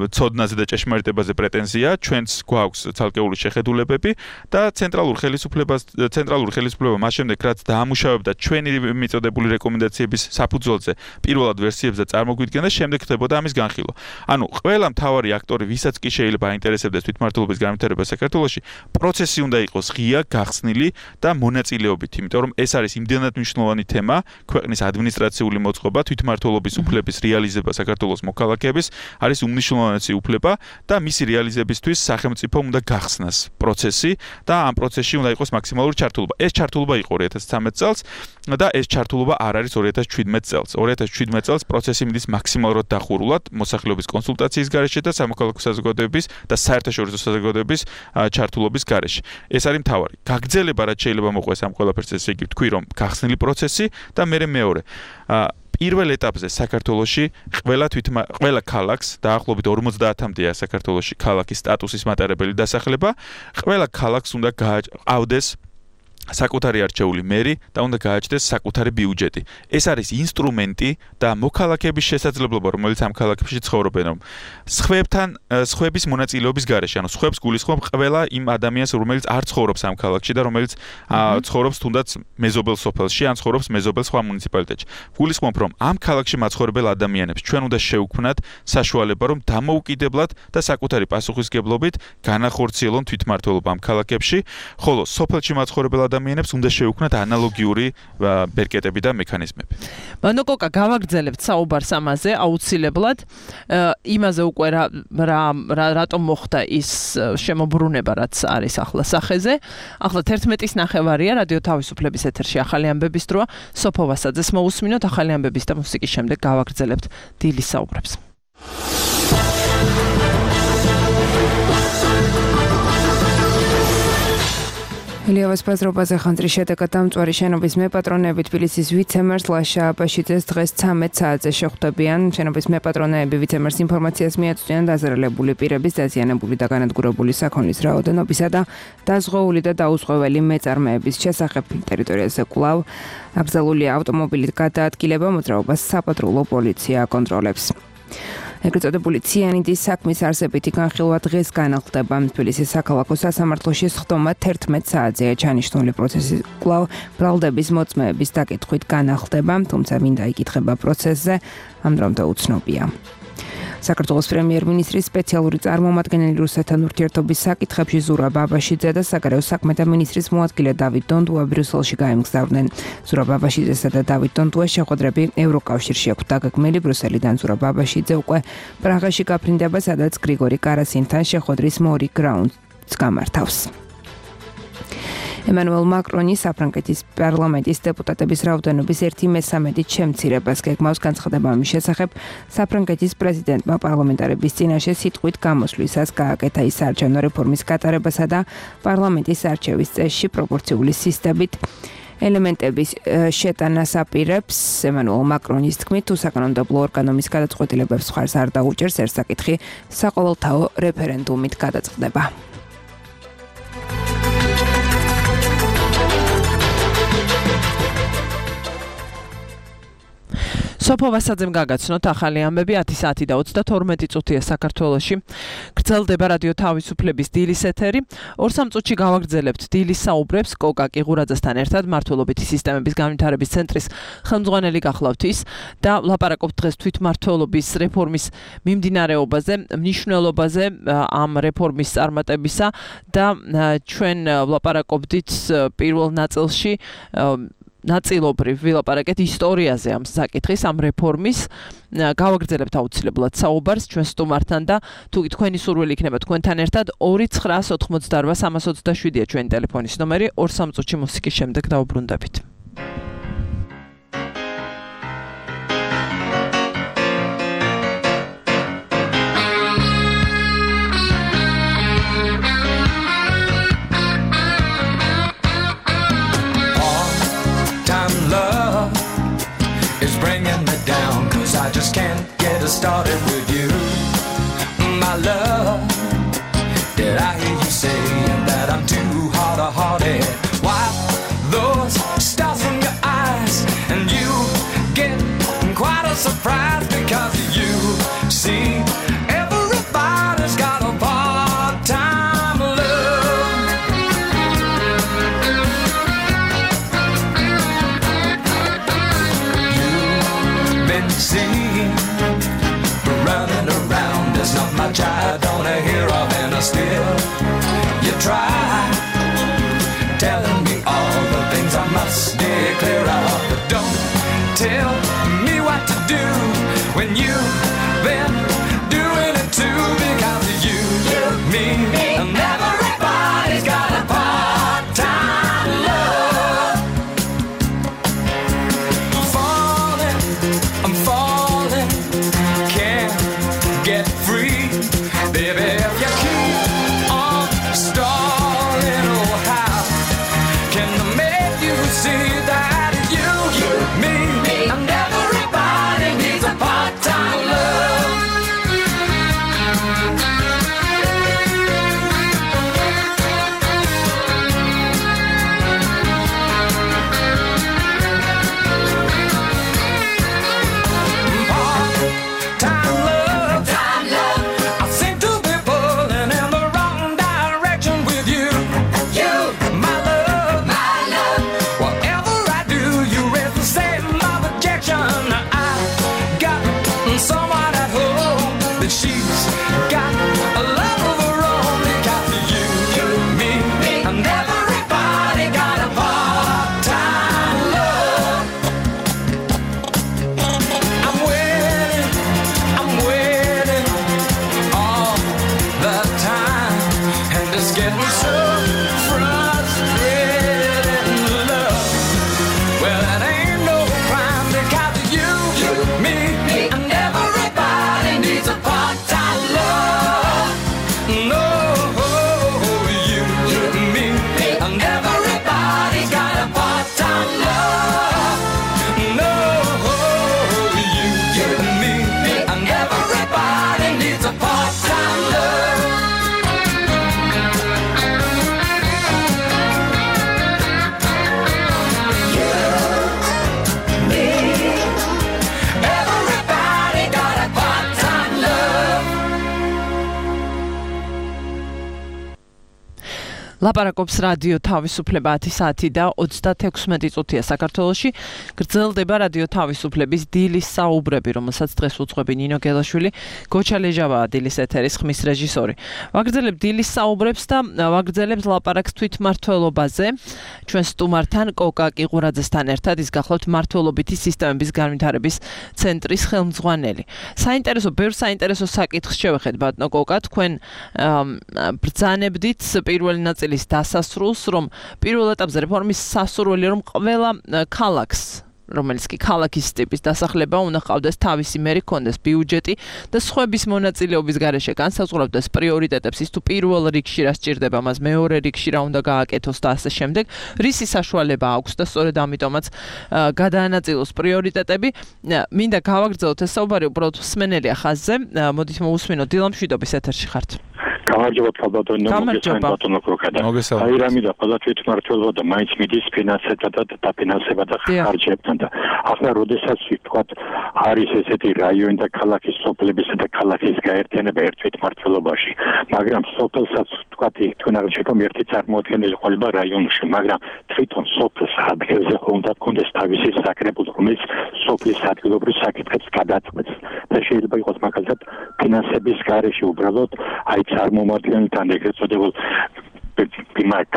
ცოდნაზე და ჭეშმარიტებაზე პრეტენზია, ჩვენც გვაქვს ცალკეული შეხედულებები და ცენტრალური ხელისუფლება მას შემდეგ რაც დაამუშავებდა ჩვენი მიწოდებული რეკომენდაციების საფუძველზე პირველად ვერსიებზე წარმოგვიდგენდა, შემდეგ ხდებოდა ამის განხილვა. ანუ ყველა მთავარი აქტორი, ვისაც კი შეიძლება აინტერესებდეს თვითმმართველობის განვითარება საქართველოში, პროცესი უნდა იყოს ღია, გახსნილი და მონაწილეობით, იმიტომ რომ ეს არის იმდენად მნიშვნელოვანი თემა, ქვეყნის ადმინისტრაციული მოწყობა, თვითმმართველობის უფლების რეალიზება საქართველოს მოქალაქეების არის უმნიშვნელოვანესი უფლება და მისი რეალიზებისთვის სახელმწიფომ უნდა გახსნას პროცესი და ამ პროცესში უნდა იყოს მაქსიმალური ჩართულობა. ეს ჩართულობა იყო 2013 წელს და ეს ჩართულობა არ არის 2017 წელს. 2017 წელს პროცესი მიდის მაქსიმალურად დახურულად მოსახლეობის კონსულტაციის გარეშე და სამოქალაქო საზოგადოების და საერთაშორისო საზოგადოების ჩართულობის გარეშე. ეს არის მთავარი. გაგრძელება რაც შეიძლება მოყვეს ამ ყველაფერს, ესე იგი ვთქვი რომ გახსნილი პროცესი და მეორე პირველ ეტაპზე საქართველოში ყველა ქალაქს დაახლოებით 50-მდეა საქართველოში ქალაქის სტატუსის მატარებელი დასახლება, ყველა ქალაქს უნდა გააჩნდეს საკუთარი არჩეული მერი და უნდა გააჩნდეს საკუთარი ბიუჯეტი. ეს არის ინსტრუმენტი და მოქალაქეების შესაძლებლობა, რომელიც ამ ქალაქებში ცხოვრობენ, რომ სხვების მონაწილეობის გარეშე, ანუ სხვებს გულისხმობ ყველა იმ ადამიანს, რომელიც არ ცხოვრობს ამ ქალაქში და რომელიც ცხოვრობს თუნდაც მეზობელ სოფელში, ან ცხოვრობს მეზობელ სხვა მუნიციპალიტეტში. გულისხმობ, რომ ამ ქალაქში მაცხოვრებელ ადამიანებს ჩვენ უნდა შევქმნათ საშუალება, რომ დამოუკიდებლად და საკუთარი პასუხისგებლობით განახორციელონ თვითმმართველობა ამ ქალაქებში, ხოლო სოფელში მაცხოვრებელ ადამიანებს უნდა შევქმნათ ანალოგიური ბერკეტები და მექანიზმები. მანოკოკა გავაგრძელებთ საუბარს ამაზე აუცილებლად. იმაზე უკვე რატომ მოხდა ის შემოbrunება, რაც არის ახლა სახეზე. ახლა 11-ის ნახევარია რადიო თავისუფლების ეთერში ახალი ამბების დროა. სოფო ვასაძეს მოусმინოთ ახალი ამბების და მუსიკის შემდეგ გავაგრძელებთ დილის საუბრებს. ილიავას ბაზრობაზე ხანძრის შედეგად დამწვარი შენობის მეპატრონეები თბილისის ვიცემერს ლაშა აბაშიძეს დღეს 13 საათზე შეხვდებიან. შენობის მეპატრონეები ვიცემერს ინფორმაციას მიაწვდიან დაზარალებული პირების, დაზიანებული და განადგურებული საქონლის რაოდენობისა და დაზღვეული და დაუზღვეველი მეწარმეების შესახებ. ტერიტორიაზე კვლავ აკრძალულია ავტომობილით გადაადგილება, მოძრაობას საპატრულო პოლიცია აკონტროლებს. ეგრეთ წოდებული ციანიდის საქმის არსებითი განხილვა დღეს განახლდება. თბილისის საქალაქო სასამართლოში სხდომა 11 საათზეა ჩანიშნული. პროცესი კვლავ ბრალდების მოწმეების დაკითხვით განახლდება, თუმცა მინდა იკითხება პროცესზე, ამ დრომდე უცნობია. საქართველოს პრემიერ-მინისტრის სპეციალური წარმომადგენელი რუსეთთან ურთიერთობის საკითხებში ზურაბ აბაშიძე და საგარეო საქმეთა მინისტრის მოადგილე დავით დონდუა ბრიუსელში გაემგზავრნენ. ზურაბ აბაშიძესა და დავით დონდუას შეხვედრები ევროკავშირში აქვს დაგეგმილი. ბრიუსელიდან ზურაბ აბაშიძე უკვე პრაღაში გაფრინდება, სადაც გრიგორი კარასინთან შეხვედრის მორიგ რაუნდს გამართავს. ემანუელ მაკრონი საფრანგეთის პარლამენტის დეპუტატების რაოდენობის 1/3-ით შემცირებას გეგმავს. განცხადება ამის შესახებ საფრანგეთის პრეზიდენტმა პარლამენტარების წინაშე სიტყვით გამოსვლისას გააკეთა. ის საარჩევნო რეფორმის გატარებასა და პარლამენტის არჩევის წესში პროპორციული სისტემით ელემენტების შეტანას აპირებს. ემანუელ მაკრონის თქმით, თუ საკანონმდებლო ორგანოს გადაწყვეტილებებს მხარს არ დაუჭერს, ერთ საკითხი საყოველთაო რეფერენდუმით გადაწყდება. სოფო ვასაძემ გაგაცნოთ ახალი ამბები 10 საათი და 32 წუთია საქართველოში. გრძელდება რადიო თავისუფლების დილის ეთერი. 2-3 წუთში გავაგრძელებთ დილის საუბრებს კოკა კიღურაძესთან ერთად მართლობითი სისტემების განვითარების ცენტრის ხელმძღვანელი გახლავთ ის და ვლაპარაკობთ დღეს თვითმმართველობის რეფორმის მიმდინარეობაზე, მნიშვნელობაზე ამ რეფორმის წარმატებისა და ჩვენ ვლაპარაკობდით პირველ ნაწილში ნაწილობრივ ვილაპარაკეთ ისტორიაზე ამ საკითხის, ამ რეფორმის. გავაგრძელებთ აუცილებლად საუბარს ჩვენ სტუმართან და თუ თქვენი სურვილი იქნება თქვენთან ერთად 2-988-327-ია ჩვენი ტელეფონის ნომერი. 2-3 წუთში მუსიკის შემდეგ დავუბრუნდებით. I just can't get started with you, my love. Did I hear you say that I'm too hard-hearted? Wipe those stars from your eyes and you get quite a surprise because you see everybody's got a part-time love. You've been seen running around. There's not much I don't hear of, and still you try telling me all the things I must steer clear of. But don't tell me what to do when you've been doing it too, because you, me, and everybody's got a part-time love. I'm falling, can't get free, baby. If you keep getting so frustrated in love. Well, it ain't no crime because you, me, and everybody needs a part-time love. No, you, me, and everybody's got a part-time love. No, you, me, and everybody needs a part-time love. Everybody got a part-time love. ლაპარაკობს რადიო თავისუფლება 10 საათი და 36 წუთია საქართველოში. გრძელდება რადიო თავისუფლების დილის საუბრები, რომელსაც დღეს უძღვები ნინო გელაშვილი, გოჩა ლეჟავაა დილის ეთერის ხმის რეჟისორი. ვაგრძელებთ დილის საუბრებს და ვაგრძელებთ ლაპარაკს თვითმმართველობაზე. ჩვენ სტუმართან კოკა კიყურაძესთან ერთად ის გახლავთ მმართველობითი სისტემების განვითარების ცენტრის ხელმძღვანელი. ბევრ საინტერესო საკითხს შევეხეთ ბატონო კოკა, თქვენ ბრძანებდით პირველი ნაწილის დასასრულს, რომ პირველ ეტაპზე რეფორმის სასურველია, რომ ყველა ქალაქს, რომელიც კი ქალაქის ტიპის დასახლება უნდა ჰყავდეს თავისი მერი, ჰქონდეს ბიუჯეტი და სხვების მონაწილეობის გარეშე განსაზღვრავდეს პრიორიტეტებს, ის თუ პირველ რიგში რა სჭირდება, მას მეორე რიგში რა უნდა გააკეთოს და ასე შემდეგ. რისი საშუალება აქვს და სწორედ ამიტომაც გადაანაწილოს პრიორიტეტები. მინდა გავაგრძელოთ ეს საუბარი უბრალოდ მსმენელია ხაზზე. მოდით მოусმინოთ დილა მშვიდობის ეთერში ხართ. გამარჯობა ბატონო, მოგესალმებით კოკადა. აი რამიდა ყველა თვითმმართველობა და მაინც მიდის ფინანსებთან და დაფინანსება და ხარჯებთან და ახლა როდესაც ვთქვათ არის ესეთი რაიონი და ქალაქის სოფლებისა და ქალაქის გაერთიანება ერთ თვითმმართველობაში, მაგრამ სოფელსაც ვთქვათ თქვენ აღნიშნეთ ერთი წარმოადგენელი ყოლება რაიონში, მაგრამ თვითონ სოფლის ადგილზე უნდა გქონდეს თავისი საკრებულო, რომელიც სოფლის ადგილობრივ საკითხებს გადაწყვეტს და შეიძლება იყოს მაგალითად ფინანსების გარეშე უბრალოდ აი წარმომადგენელთან ეგრეთ წოდებულ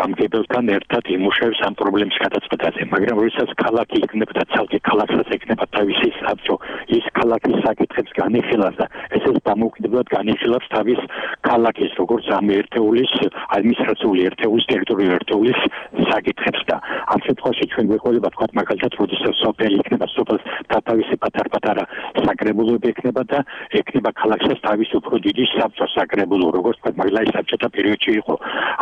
გამგებელთან ერთად იმუშავებს ამ პრობლემის გადაწყვეტაზე, მაგრამ როდესაც ქალაქი იქნება და ცალკე ქალაქსაც ექნება თავისი საბჭო, ის ქალაქის საკითხებს განიხილავს და ესეც დამოუკიდებლად განიხილავს თავის ქალაქის, როგორც ამ ერთეულის, ადმინისტრაციული ერთეულის, ტერიტორიული ერთეულის საკითხებს და ამ შემთხვევაში ჩვენ გვეყოლება თქვათ მაგალითად, როდესაც სოფელი იქნება, სოფელს თავისი პატარ-პატარა საკრებულოები ექნება და ექნება ქალაქსაც თავის უფრო დიდი საბჭო საკრებულო, როგორც თქვათ მაგალითად საბჭოთა პერიოდში იყო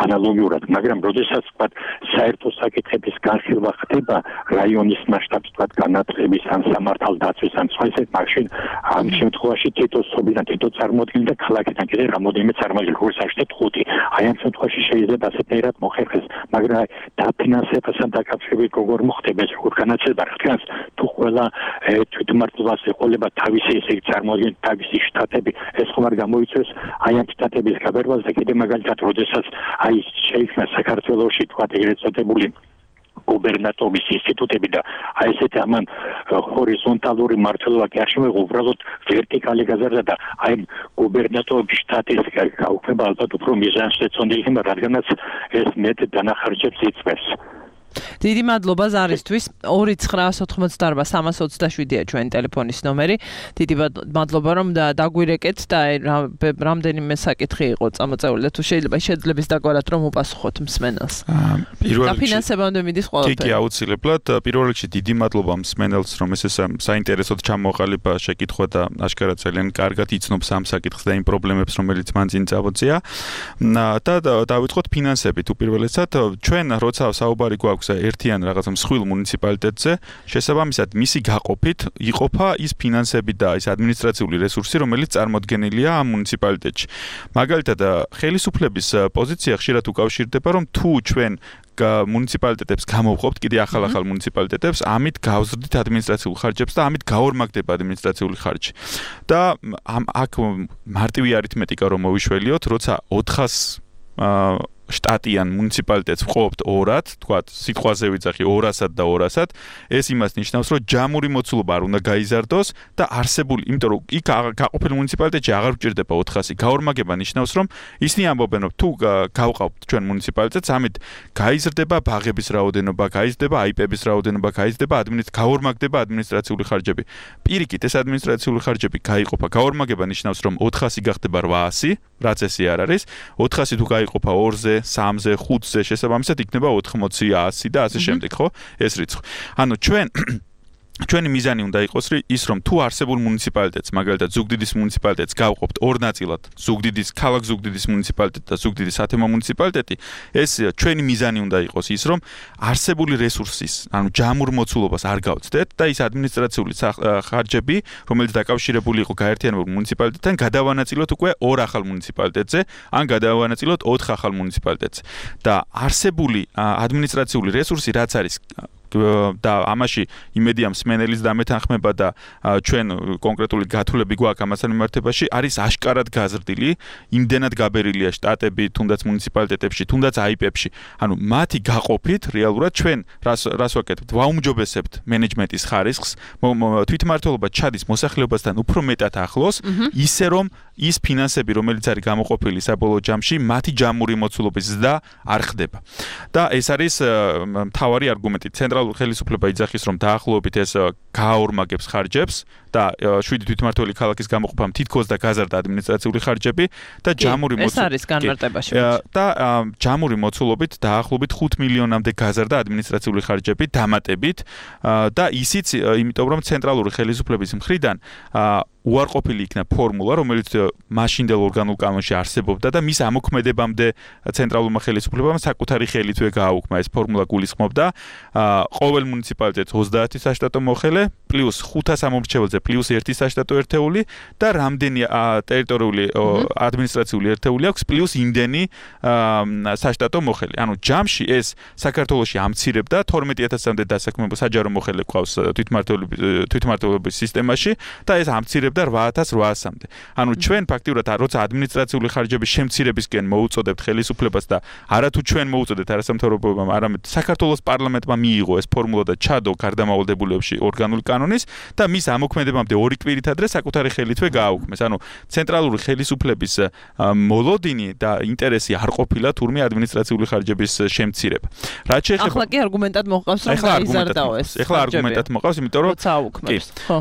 ანალოგიურად, მაგრამ როდესაც თქვათ საერთო საკითხების განხილვა ხდება რაიონის მასშტაბში, თქვათ განათლების ან სამართალდაცვის ან სხვა ისეთ მაშინ ამ შემთხვევაში თითო სოფლიდან თითო წარმოადგენელი და ქალაქიდან კიდე რამოდენიმე წარმოადგენელი, როგორც აღნიშნეთ 5. აი ამ შემთხვევაში შეიძლება ასეთნაირად მოხერხდეს, მაგრამ დაფინანსებასთან დაკავშირებით როგორ მოხდება ეს როგორ განაცდება რადგანაც თუ ყველა თვითმმართველობას ეყოლება თავისი ესე წარმოადგენელი თავისი შტატები, ეს ხომ არ გამოიწვევს აი ამ შტატების გაბერვას და კიდე მაგალითად როდესაც აი შეიქმნა საქართველოში თქვათ ეგრეთ წოდებული გუბერნატორის ინსტიტუტები და აი ესეთი ამან ჰორიზონტალური მმართველობა კი არ შემოიღო, უბრალოდ ვერტიკალი გაზარდა და აი გუბერნატორობის შტატის გაუქმება ალბათ უფრო მიზანშეწონილი ხდება, რადგანაც ეს მეტ დანახარჯებს იწვევს. დიდი მადლობა ზარისთვის. 2988327-ია ჩვენი ტელეფონის ნომერი. დიდი მადლობა რომ დაგვირეკეთ და რამდენიმე საკითხი იყო წამოწეული და თუ შეიძლება შეძლებს დაგვარათ რომ უპასუხოთ მსმენელს. დაფინანსებამდე მიდის ყველაფერი. კი, აუცილებლად. პირველ რიგში დიდი მადლობა მსმენელს, რომ ეს საინტერესოდ ჩამოყალიბა შეკითხვა და აშკარად ძალიან კარგად იცნობს ამ საკითხს და იმ პრობლემებს, რომელიც მან წინ წამოწია. და დავიწყოთ ფინანსებით. უპირველესად, ჩვენ როცა საუბარი გვაქვს ერთიან რაღაცა მსხვილ მუნიციპალიტეტზე, შესაბამისად მისი გაყოფით იყოფა ის ფინანსები და ის ადმინისტრაციული რესურსი, რომელიც წარმოდგენილია ამ მუნიციპალიტეტში. მაგალითად, ხელისუფლების პოზიცია ხშირად უკავშირდება, რომ თუ ჩვენ მუნიციპალიტეტებს გამოვყოფთ, კიდე ახალ მუნიციპალიტეტებს, ამით გავზრდით ადმინისტრაციულ ხარჯებს და ამით გაორმაგდება ადმინისტრაციული ხარჯი. და აქ მარტივი არითმეტიკა რომ მოვიშველიოთ, როცა 400 შტატიან მუნიციპალიტეტს ვყოფთ 2-ად, თქვათ, სიტყვაზე ვიძახი 200-ად და 200-ად, ეს იმას ნიშნავს, რომ ჯამური მოცულობა არ უნდა გაიზარდოს და არსებული, იმიტომ რომ იქ გაყოფილ მუნიციპალიტეტში აღარ გვჭირდება 400. გაორმაგება ნიშნავს, რომ ისინი ამბობენ, რომ თუ გავყავთ ჩვენ მუნიციპალიტეტს, ამით გაიზრდება ბაღების რაოდენობა, გაიზრდება აიპების რაოდენობა, გაორმაგდება ადმინისტრაციული ხარჯები. პირიქით, ეს ადმინისტრაციული ხარჯები გაიყოფა. გაორმაგება ნიშნავს, რომ 400 გახდება 800, რაც ესე არ არის. 400 თუ გაიყოფა 2-ზე, 4-ზე, 3-ზე, 5-ზე შესაბამისად იქნება 80, 100 და ასე შემდეგ, ხო? ეს რიცხვი. ანუ ჩვენი მიზანი უნდა იყოს ის, რომ თუ არსებულ მუნიციპალიტეტს, მაგალითად ზუგდიდის მუნიციპალიტეტს გავყოფთ ორ ნაწილად, ქალაქ ზუგდიდის მუნიციპალიტეტი და ზუგდიდის ათემო მუნიციპალიტეტი, ეს ჩვენი მიზანი უნდა იყოს ის, რომ არსებული რესურსის, ანუ ჯამურ მოცულობას არ გავცდეთ და ის ადმინისტრაციული ხარჯები, რომელიც დაკავშირებული იყო გაერთიანებულ მუნიციპალიტეტთან, გადავანაწილოთ უკვე ორ ახალ მუნიციპალიტეტზე, ან გადავანაწილოთ 4 ახალ მუნიციპალიტეტზე. და არსებული ადმინისტრაციული რესურსი რაც არის და ამაში იმედია მსმენელის დამეთანხმება და ჩვენ კონკრეტული გათვლები გვაქვს ამასთან მიმართებაში არის აშკარად გაზრდილი, იმდენად გაბერილია შტატები, თუნდაც მუნიციპალიტეტებში, თუნდაც აიპებში. ანუ მათი გაყოფით რეალურად ჩვენ რას ვაკეთებთ? ვაუმჯობესებთ მენეჯმენტის ხარისხს, თვითმმართველობა ჩადის მოსახლეობასთან უფრო მეტად ახლოს, ისე რომ ის ფინანსები, რომელიც არის გამოყოფილი საბოლოო ჯამში, მათი ჯამური მოცულობის ზრდა არ ხდება. და ეს არის მთავარი არგუმენტი. ცენტრალური ხელისუფლება იძახის, რომ დაახლოებით ეს გააორმაგებს ხარჯებს და 7 თვითმმართველი ქალაქის გამოყოფამ თითქოს და გაზარდა ადმინისტრაციული ხარჯები და ჯამური ეს არის განმარტებაში. და ჯამური მოცულობით დაახლოებით 5 მილიონამდე გაზარდა ადმინისტრაციული ხარჯები დამატებით და ისიც იმიტომ რომ ცენტრალური ხელისუფლების მხრიდან უარყოფილი იქნა ფორმულა, რომელიც მაშინდელ ორგანულ კანონში არსებობდა და მის ამოქმედებამდე ცენტრალურმა ხელისუფლებამ საკუთარი ხელითვე გააუქმა. ეს ფორმულა გულისხმობდა ყოველ მუნიციპალიტეტს 30 საშტატო მოხელე პლუს 500 ამომრჩეველზე პლუს 1 საშტატო ერთეული და რამდენი ტერიტორიული ადმინისტრაციული ერთეული აქვს პლუს იმდენი საშტატო მოხელე. ანუ ჯამში ეს საქართველოში ამცირებდა 12000-მდე დასაქმებულ საჯარო მოხელე ყავს თვითმმართველობის სისტემაში და ეს ამცირებდა 8800-მდე. ანუ ჩვენ ფაქტიურად როცა ადმინისტრაციული ხარჯების შემცირებისკენ მოუწოდებთ ხელისუფლებას და არათუ ჩვენ მოუწოდეთ არასამთავრობოებამ, არამედ საქართველოს პარლამენტმა მიიღო ეს ფორმულა და ჩადო გარდამავალდებულებში ორგანული კანონის და მის ამოქმედებამდე 2 კვირით ადრე საკუთარი ხელითვე გააუქმეს. ანუ ცენტრალური ხელისუფლების მოლოდინი და ინტერესი არ ყოფილა თურმე ადმინისტრაციული ხარჯების შემცირება. რაც შეეხება ახლა კი არგუმენტად მოყავს რომ გაიზარდაო ეს. ახლა არგუმენტად მოყავს, იმიტომ რომ როცა აუქმებს. ხო.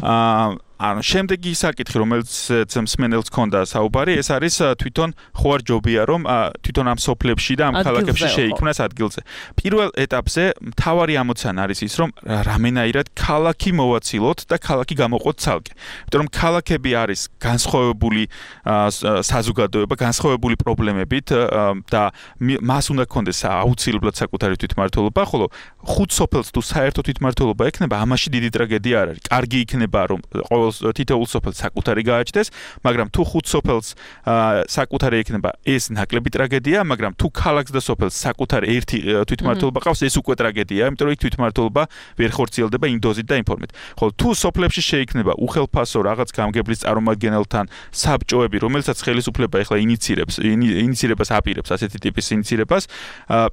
ანუ შემდეგი საკითხი, რომელიც მსმენელს ჰქონდა საუბარი, ეს არის თვითონ ხო არ ჯობია რომ თვითონ ამ სოფლებში და ამ ქალაქებში შეიქმნას ადგილზე. პირველ ეტაპზე მთავარი ამოცანა არის ის, რომ რამენაირად ქალაქი მოვაცილოთ და ქალაქი გამოყოთ ცალკე. იმიტომ რომ ქალაქები არის განსხვავებული საზოგადოება, განსხვავებული პრობლემებით და მას უნდა ქონდეს აუცილებლად საკუთარი თვითმმართველობა, ხოლო 5 სოფელს თუ საერთო თვითმმართველობა ექნება, ამაში დიდი ტრაგედია არ არის. კარგი იქნება რომ თითოეულ სოფელს საკუთარი გააჩნდეს, მაგრამ თუ 5 სოფელს საკუთარი ექნება, ეს ნაკლები ტრაგედია, მაგრამ თუ ქალაქს და სოფელს საკუთარი ერთი თვითმმართველობა ყავს, ეს უკვე ტრაგედია, იმიტომ რომ იქ თვითმმართველობა ვერ ხორციელდება იმ დოზით და იმ ფორმით. ხოლო თუ სოფლებში შეიქმნება უხელფასო რაღაც გამგებლის წარმომადგენელთან საბჭოები, რომელსაც ხელისუფლება ეხლა ინიცირებას აპირებს, ასეთი ტიპის ინიცირებას,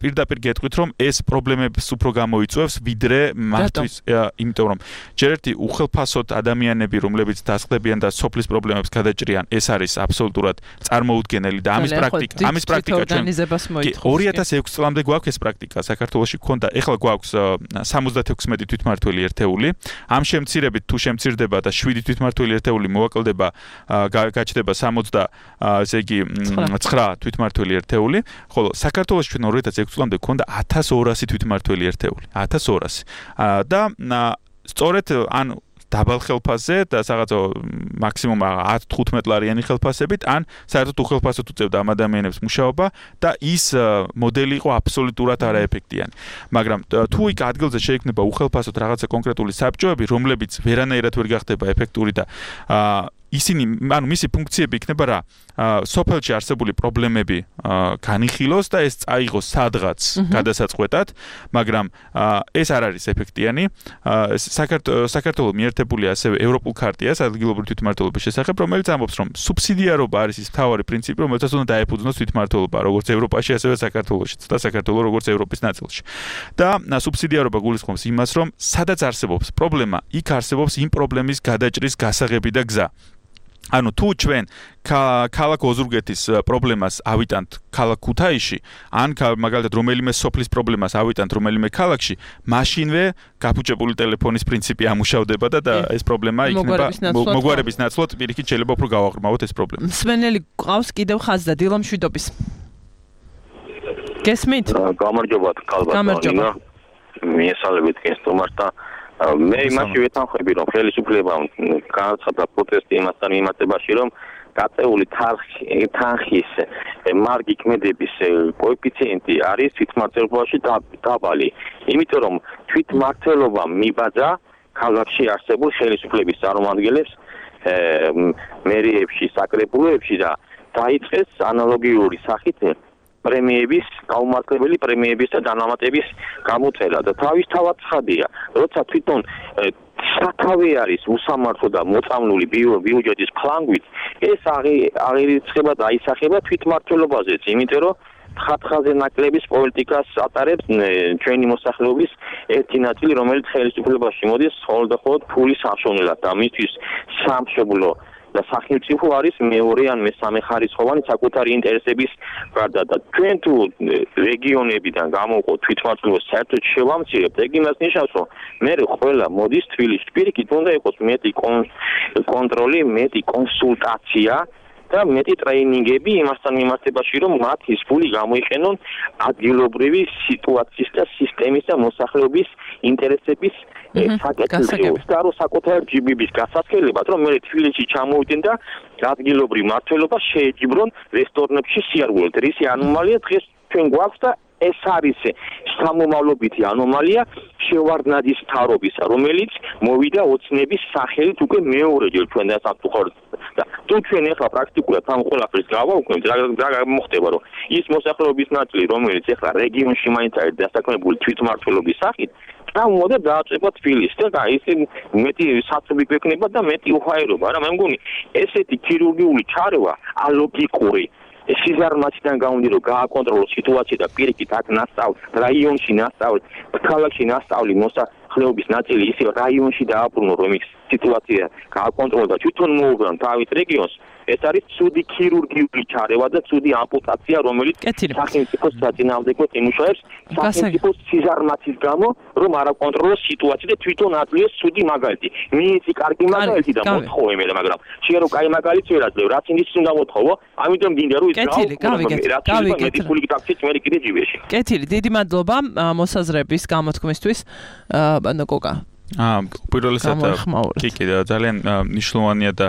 პირდაპირ გეტყვით, რომ ეს პრობლემებს უფრო გამოიწვევს, ვიდრე მათთვის, იმიტომ რომ ჯერ ერთი უხელფასოთ ადამიანები რომლებიც დასხდებიან და სოფლის პრობლემებს გადაჭრიან, ეს არის absolutურად წარმოუდგენელი და ამის პრაქტიკა ჩვენ 2006 წლამდე გვაქვს ეს პრაქტიკა საქართველოში გქონდა, ეხლა გვაქვს 76 თვითმმართველი ერთეული. ამ შემცირებით თუ შემცირდება და 7 თვითმმართველი ერთეული მოვაკლდება, გაჩნდება 60 ესე იგი 9 თვითმმართველი ერთეული, ხოლო საქართველოში ჩვენ 2006 წლამდე გქონდა 1200 თვითმმართველი ერთეული. 1200 და სწორედ ან დაბალ ხელფასზე და რაღაცა მაქსიმუმ 10-15 ლარიანი ხელფასებით, ან საერთოდ უხელფასოდ უწევდა ამ ადამიანებს მუშაობა და ის მოდელი იყო აბსოლუტურად არაეფექტიანი. მაგრამ თუ იქ ადგილზე შეიქმნება უხელფასოდ რაღაცა კონკრეტული საბჭოები, რომლებიც ვერანაირად ვერ გახდება ეფექტური და ისინი, ანუ მისი ფუნქციები იქნება რა? სოფელში არსებული პრობლემები განიხილოს და ეს წაიღოს სადღაც გადასაწყვეტად, მაგრამ ეს არ არის ეფექტიანი. საქართველოს მიერთებული ასევე ევროპულ ქარტიას ადგილობრივი თვითმმართველობის შესახებ, რომელიც ამბობს, რომ სუბსიდიარობა არის ის მთავარი პრინციპი, რომელსაც უნდა დაეფუძნოს თვითმმართველობა, როგორც ევროპაში, ასევე საქართველოშიც და საქართველოს როგორც ევროპის ნაწილში. და სუბსიდიარობა გულისხმობს იმას, რომ სადაც არსებობს პრობლემა, იქ არსებობს იმ პრობლემის გადაჭრის გასაღები და გზა. ანუ თუ ჩვენ ქალაქ ოზურგეთის პრობლემას ავიტანთ ქალაქ ქუთაისში, ან მაგალითად რომელიმე სოფლის პრობლემას ავიტანთ რომელიმე ქალაქში, მაშინვე გაფუჭებული ტელეფონის პრინციპი ამუშავდება და ეს პრობლემა იქნება მოგვარების ნაცვლად პირიქით შეიძლება უფრო გავაღრმავოთ ეს პრობლემა. მსმენელი ყავს კიდევ ხაზზე დილა მშვიდობის. გესმით? გამარჯობათ, გამარჯობა. მიესალმებით გესტუმარს და მე იმაში ვეთანხმები, რომ ხელისუფლებამ გააცხადა პროტესტი იმასთან მიმართებაში, რომ გაწეული თანხის მარგი ქმედების კოეფიციენტი არის თვითმმართველობაში დაბალი. იმიტომ რომ თვითმმართველობა მიბაძა ქალაქში არსებულ ხელისუფლების წარმომადგენლებს მერიებში, საკრებულოებში და დაიწყეს ანალოგიური სახით პრემიების, გაუმართლებელი პრემიების და დანამატების გამოწელა და თავისთავად ცხადია, როცა თვითონ სათავე არის უსამართლო და მოწამლული ბიუჯეტის ფლანგვით, ეს აღირიცხება და აისახება თვითმმართველობაზეც, იმიტომ რომ ხათხაზე ნაკლების პოლიტიკას ატარებს ჩვენი მოსახლეობის ერთი ნაწილი, რომელიც ხელისუფლებაში მოდის მხოლოდ ფულის აღშოვნილად და მისთვის სამშობლო და სახელმწიფო არის მეორე ან მესამე ხარისხოვანი საკუთარი ინტერესების გარდა და ჩვენ თუ რეგიონებიდან გამოვყოთ თვითმმართველობას საერთოდ შევამცირებთ, ეგ იმას ნიშნავს, რომ მე ყველა მოდის თბილისში, პირიქით უნდა იყოს მეტი კონტროლი, მეტი კონსულტაცია და მეტი ტრეინინგები იმასთან მიმართებაში, რომ მათ ის ფული გამოიყენონ ადგილობრივი სიტუაციის და სისტემის და მოსახლეობის ინტერესების საკითხებს და რო საკუთარ ჯიბიბის გასასწრებად, რომ მე თბილისში ჩამოვიდნენ და ადგილობრივ მმართველობა შეეჯიბრონ რესტორნებში სიარგულეთ. რისი ანომალია დღეს ჩვენ გვაქვს და ეს არის სამომავლობითი ანომალია შევარდნაძის მთავრობის, რომელიც მოვიდა ოცნების სახელით უკვე მეორეჯერ ჩვენ დასამტუხაროდ და თუ ჩვენ ახლა პრაქტიკულად ამ ყველაფერს გავაუქმებთ, რა მოხდება, რომ ის მოსახლეობის ნაწილი, რომელიც ახლა რეგიონში მაინც არის დასაქმებული თვითმმართველობის სახით, და დააწება თბილისს და ისე მეტი საცობი გვექნება და მეტი უხაერობა რა მე მგონი ესეთი ქირურგიული ჩარევა ალოგიკური სიზარმაციდან გამომდინარე რომ გააკონტროლოს სიტუაცია და პირიქით აქ ნასწავლ რაიონში ნასწავლ ქალაქში ნასწავლი მოსახლეობის ნაწილი ისე რაიონში დააბრუნო რომ ის სიტუაცია გააკონტროლოს და თვითონ მოუგრან თავის რეგიონს ეს არის ცუდი ქირურგიული ჩარევა და ცუდი ამპუტაცია რომელიც სახელმწიფოს საწინააღმდეგოდ იმუშავებს სახელმწიფოს სიზარმაცის გამო რომ არ აკონტროლოს სიტუაცია და თვითონ აწვიოს ცუდი მაგალითი მიიცი კარგი მაგალითი და მოთხოვე მე მაგრამ შეიძლება რომ კაი მაგალითი ვერ აძლევ რაც ის უნდა მოთხოვო ამიტომ მინდა რომ ის გავიგეთ ფული ტაქსიც მე კიდე ჯიბეში კეთილი დიდი მადლობა მოსაზრების გამოთქმისთვის ბანდა კოკა პირველად კი ძალიან მნიშვნელოვანია და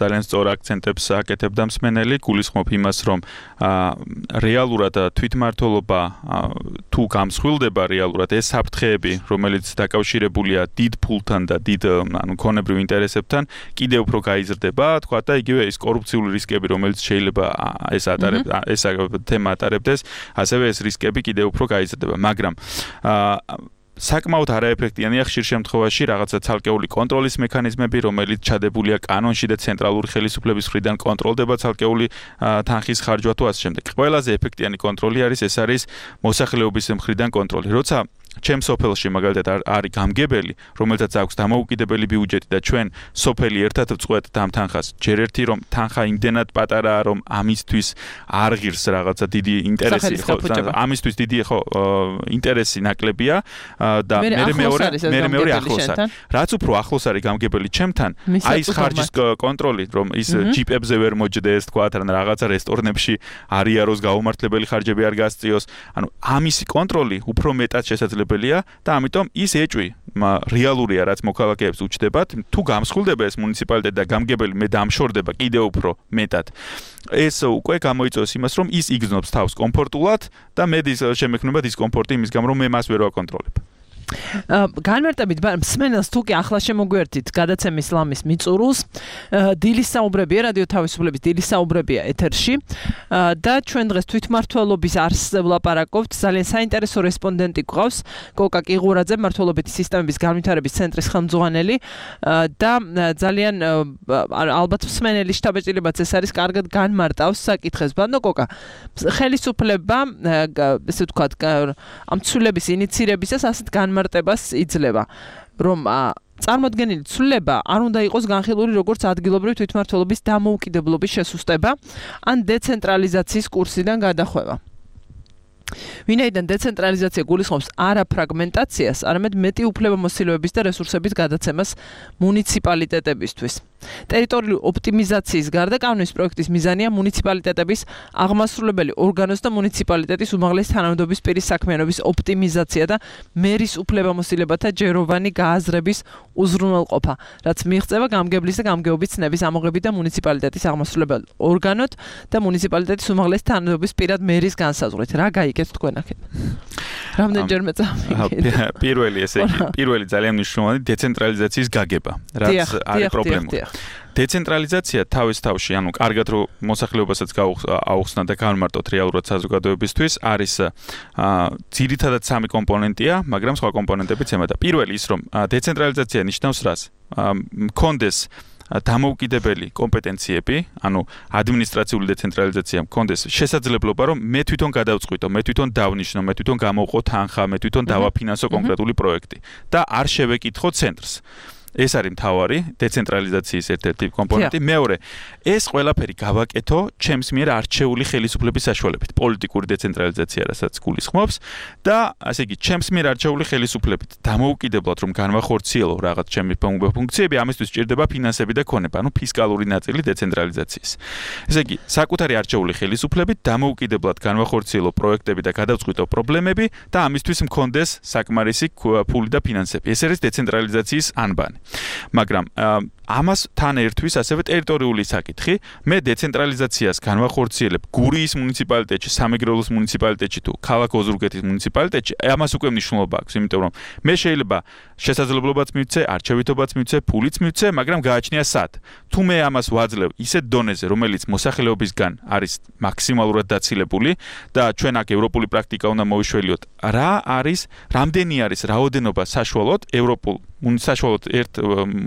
ძალიან სწორ აქცენტებს აკეთებდა მსმენელი გულისხმობ იმას რომ რეალურად თვითმმართველობა თუ გამსხვილდება რეალურად ეს საფრთხეები რომელიც დაკავშირებულია დიდ ფულთან და დიდ ქონებრივ ინტერესებთან კიდევ უფრო გაიზრდება თქვა და იგივე ის კორუფციული რისკები რომელიც შეიძლება ეს თემა ატარებდეს ასევე ეს რისკები კიდევ უფრო გაიზრდება მაგრამ საკმაოდ არაეფექტიანია ხშირ შემთხვევაში რაღაცა ცალკეული კონტროლის მექანიზმები, რომელიც ჩადებულია კანონში და ცენტრალური ხელისუფლების მხრიდან კონტროლდება ცალკეული თანხის ხარჯვა თუ ასე შემდეგ. ყველაზე ეფექტიანი კონტროლი არის ეს არის მოსახლეობის მხრიდან კონტროლი. როცა ჩემს სოფელში მაგალითად არის გამგებელი, რომელსაც აქვს დამოუკიდებელი ბიუჯეტი და ჩვენ სოფელი ერთად ვწყვეტთ ამ თანხას. ჯერ ერთი რომ თანხა იმდენად პატარაა, რომ ამისთვის არ ღირს რაღაცა დიდი ინტერესი, ხო, ამისთვის დიდი ხო ინტერესი ნაკლებია და მე მეორე ახლოს არის. რაც უფრო ახლოს არის გამგებელი ჩემთან, აი ეს ხარჯის კონტროლი, რომ ის ჯიპებზე ვერ მოჯდეს, თქვა თან რაღაცა რესტორნებში არ იაროს გაუმართლებელი ხარჯები არ გასწიოს. ანუ ამისი კონტროლი უფრო მეტად შესაძლებელი და ამიტომ ის ეჭვი რეალურია რაც მოქალაქეებს უჩნდებათ თუ გამსხვილდება ეს მუნიციპალიტეტი და გამგებელი მე დამშორდება კიდევ უფრო მეტად ეს უკვე გამოიწვევს იმას რომ ის იგრძნობს თავს კომფორტულად და მე შემექმნება დისკომფორტი იმის გამო რომ მე მას ვერ ვაკონტროლებ განმარტებით მსმენელს თუ კი ახლა შემოგვერთით გადაცემის ლამის მიწურულს დილის საუბრებია რადიო თავისუფლების დილის საუბრებია ეთერში და ჩვენ დღეს თვითმმართველობის არსზე ვლაპარაკობთ ძალიან საინტერესო რესპონდენტი გვყავს კოკა კიღურაძე მმართველობითი სისტემების განვითარების ცენტრის ხელმძღვანელი და ძალიან ალბათ მსმენელი შთაბეჭდილებაც ეს არის კარგად განმარტავს საკითხებს ბანო კოკა ხელისუფლება ესე ვთქვათ ამ ცვლილების ინიცირებისას ასეთ მარტებას იძლევა რომ წარმოდგენილი ცვლილება არ უნდა იყოს განხილული როგორც ადგილობრივი თვითმმართველობის დამოუკიდებლობის შესუსტება ან დეცენტრალიზაციის კურსიდან გადახვევა. ვინაიდან დეცენტრალიზაცია გულისხმობს არა ფრაგმენტაციას, არამედ მეტი უფლებამოსილოების და რესურსების გადაცემას მუნიციპალიტეტებისთვის. ტერიტორიული ოპტიმიზაციის გარდა კანონის პროექტის მიზანია მუნიციპალიტეტების აღმასრულებელი ორგანოს და მუნიციპალიტეტის უმაღლესი თანამდებობის პირის საქმიანობის ოპტიმიზაცია და მერის უფლებამოსილებათა ჯეროვანი გააზრების უზრუნველყოფა, რაც მიიღწევა გამგებლის და გამგეობის ცნების ამოღებით და მუნიციპალიტეტის აღმასრულებელ ორგანოთ და მუნიციპალიტეტის უმაღლესი თანამდებობის პირად მერის განსაზღვრით. რა გაიგეთ თქვენ აქეთ? რამდენჯერმე წავიგეთ? პირველი ძალიან მნიშვნელოვანი დეცენტრალიზაციის გაგება, რაც არის პრობლემა. დეცენტრალიზაცია თავის თავში, ანუ კარგად რომ მოსახლეობასაც აუხსნა და განმარტოთ რეალურად საზოგადოებისთვის, არის ძირითადად სამი კომპონენტია, მაგრამ სხვა კომპონენტებიც ემატა. პირველი ის, რომ დეცენტრალიზაცია ნიშნავს რას? მქონდეს დამოუკიდებელი კომპეტენციები, ანუ ადმინისტრაციული დეცენტრალიზაცია მქონდეს შესაძლებლობა, რომ მე თვითონ გადავწყვიტო, მე თვითონ დავნიშნო, მე თვითონ გამოვყო თანხა, მე თვითონ დავაფინანსო კონკრეტული პროექტი და არ შევეკითხო ცენტრს. ეს არის მთავარი დეცენტრალიზაციის ერთ-ერთი კომპონენტი. მეორე, ეს ყველაფერი გავაკეთო ჩემს მიერ არჩეული ხელისუფლების საშუალებით, პოლიტიკური დეცენტრალიზაცია, რასაც გულისხმობს და ასე იგი, ჩემს მიერ არჩეული ხელისუფლებით დამოუკიდებლად რომ განვახორციელო რაღაც ჩემი ფუნქციები, ამისთვის სჭირდება ფინანსები და ქონება, ანუ ფისკალური ნაწილი დეცენტრალიზაციის. ესე იგი, საკუთარი არჩეული ხელისუფლებით დამოუკიდებლად განვახორციელო პროექტები და გადავწყვიტო პრობლემები და ამისთვის მქონდეს საკმარისი ფული და ფინანსები. ეს არის დეცენტრალიზაციის ანბანი. მაგრამ ამას თან ერთვის ასევე ტერიტორიული საკითხი. მე დეცენტრალიზაციას განვახორციელებ გურიის მუნიციპალიტეტში, სამეგრელოს მუნიციპალიტეტში თუ ქალაქ ოზურგეთის მუნიციპალიტეტში, ამას უკვე მნიშვნელობა აქვს, იმიტომ რომ მე შეიძლება შესაძლებლობაც მივცე, არჩევითობაც მივცე, ფულიც მივცე, მაგრამ გააჩნია სად. თუ მე ამას ვაძლევ ისეთ დონეზე, რომელიც მოსახლეობისგან არის მაქსიმალურად დაცილებული და ჩვენ აქ ევროპული პრაქტიკა უნდა მოვიშველიოთ, რამდენი არის რაოდენობა საშუალოდ ევროპულ საშუალოდ ერთ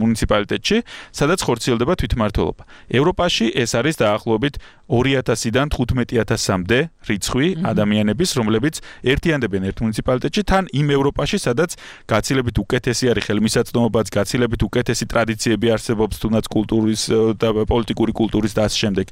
მუნიციპალიტეტში, სადაც ხორციელდება თვითმმართველობა. ევროპაში ეს არის დაახლოებით 2000-დან 15000-მდე რიცხვი ადამიანების, რომლებიც ერთიანდებიან ერთ მუნიციპალიტეტში, თან იმ ევროპაში, სადაც გაცილებით უკეთესი არის ხელმისაწვდომობაც, გაცილებით უკეთესი ტრადიციები არსებობს, თუნდაც კულტურის და პოლიტიკური კულტურის და ასე შემდეგ.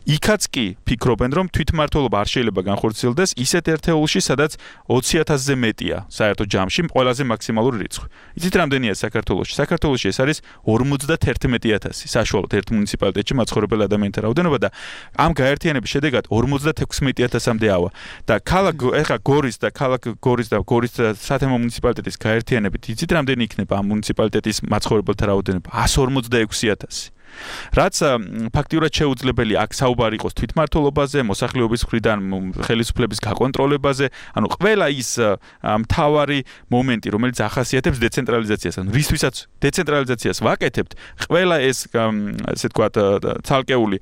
იქაც კი ფიქრობენ, რომ თვითმმართველობა არ შეიძლება განხორციელდეს ისეთ ერთეულში, სადაც 20000-ზე მეტია საერთო ჯამში ყველაზე მაქსიმალური რიცხვი. იცით რამდენია საქართველოში? საქართველოში ეს არის 51000 საშუალოდ ერთ მუნიციპალიტეტში მაცხოვრებელ ადამიანთა რაოდენობა და ამ გაერთიანების შედეგად 56000-მდე ავა. და გორის და გორის სათემო მუნიციპალიტეტის გაერთიანებით იცით რამდენი იქნება ამ მუნიციპალიტეტის მაცხოვრებელთა რაოდენობა? 146000. რაც ფაქტიურად შეუძლებელი აქ საუბარი იყოს თვითმმართველობაზე, მოსახლეობის მხრიდან ხელისუფლების გაკონტროლებაზე, ანუ ყველა ის მთავარი მომენტი, რომელიც ახასიათებს დეცენტრალიზაციას, ანუ რისთვისაც დეცენტრალიზაციას ვაკეთებთ, ყველა ეს ესე თქვა ცალკეული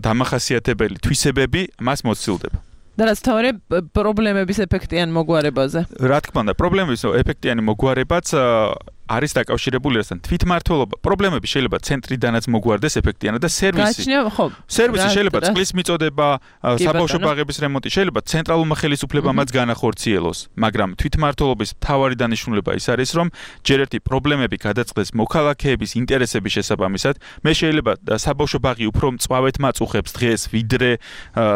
დამახასიათებელი თვისებები მას მოსცილდება. და რაც თავარი პრობლემების ეფექტიან მოგვარებაზე. რა თქმა უნდა, პრობლემების ეფექტიანი მოგვარებაც არის დაკავშირებული ასთან თვითმმართველობა. პრობლემები შეიძლება ცენტრიდანაც მოგვარდეს ეფექტიანად და სერვისი შეიძლება წყლის მიწოდება, საბავშვო ბაღების რემონტი შეიძლება ცენტრალურმა ხელისუფლებამაც განახორციელოს, მაგრამ თვითმმართველობის მთავარი დანიშნულება ის არის, რომ ჯერ ერთი პრობლემები გადაწყდეს მოქალაქეების ინტერესების შესაბამისად. მე შეიძლება საბავშვო ბაღი უფრო მწვავედ მაწუხებს დღეს, ვიდრე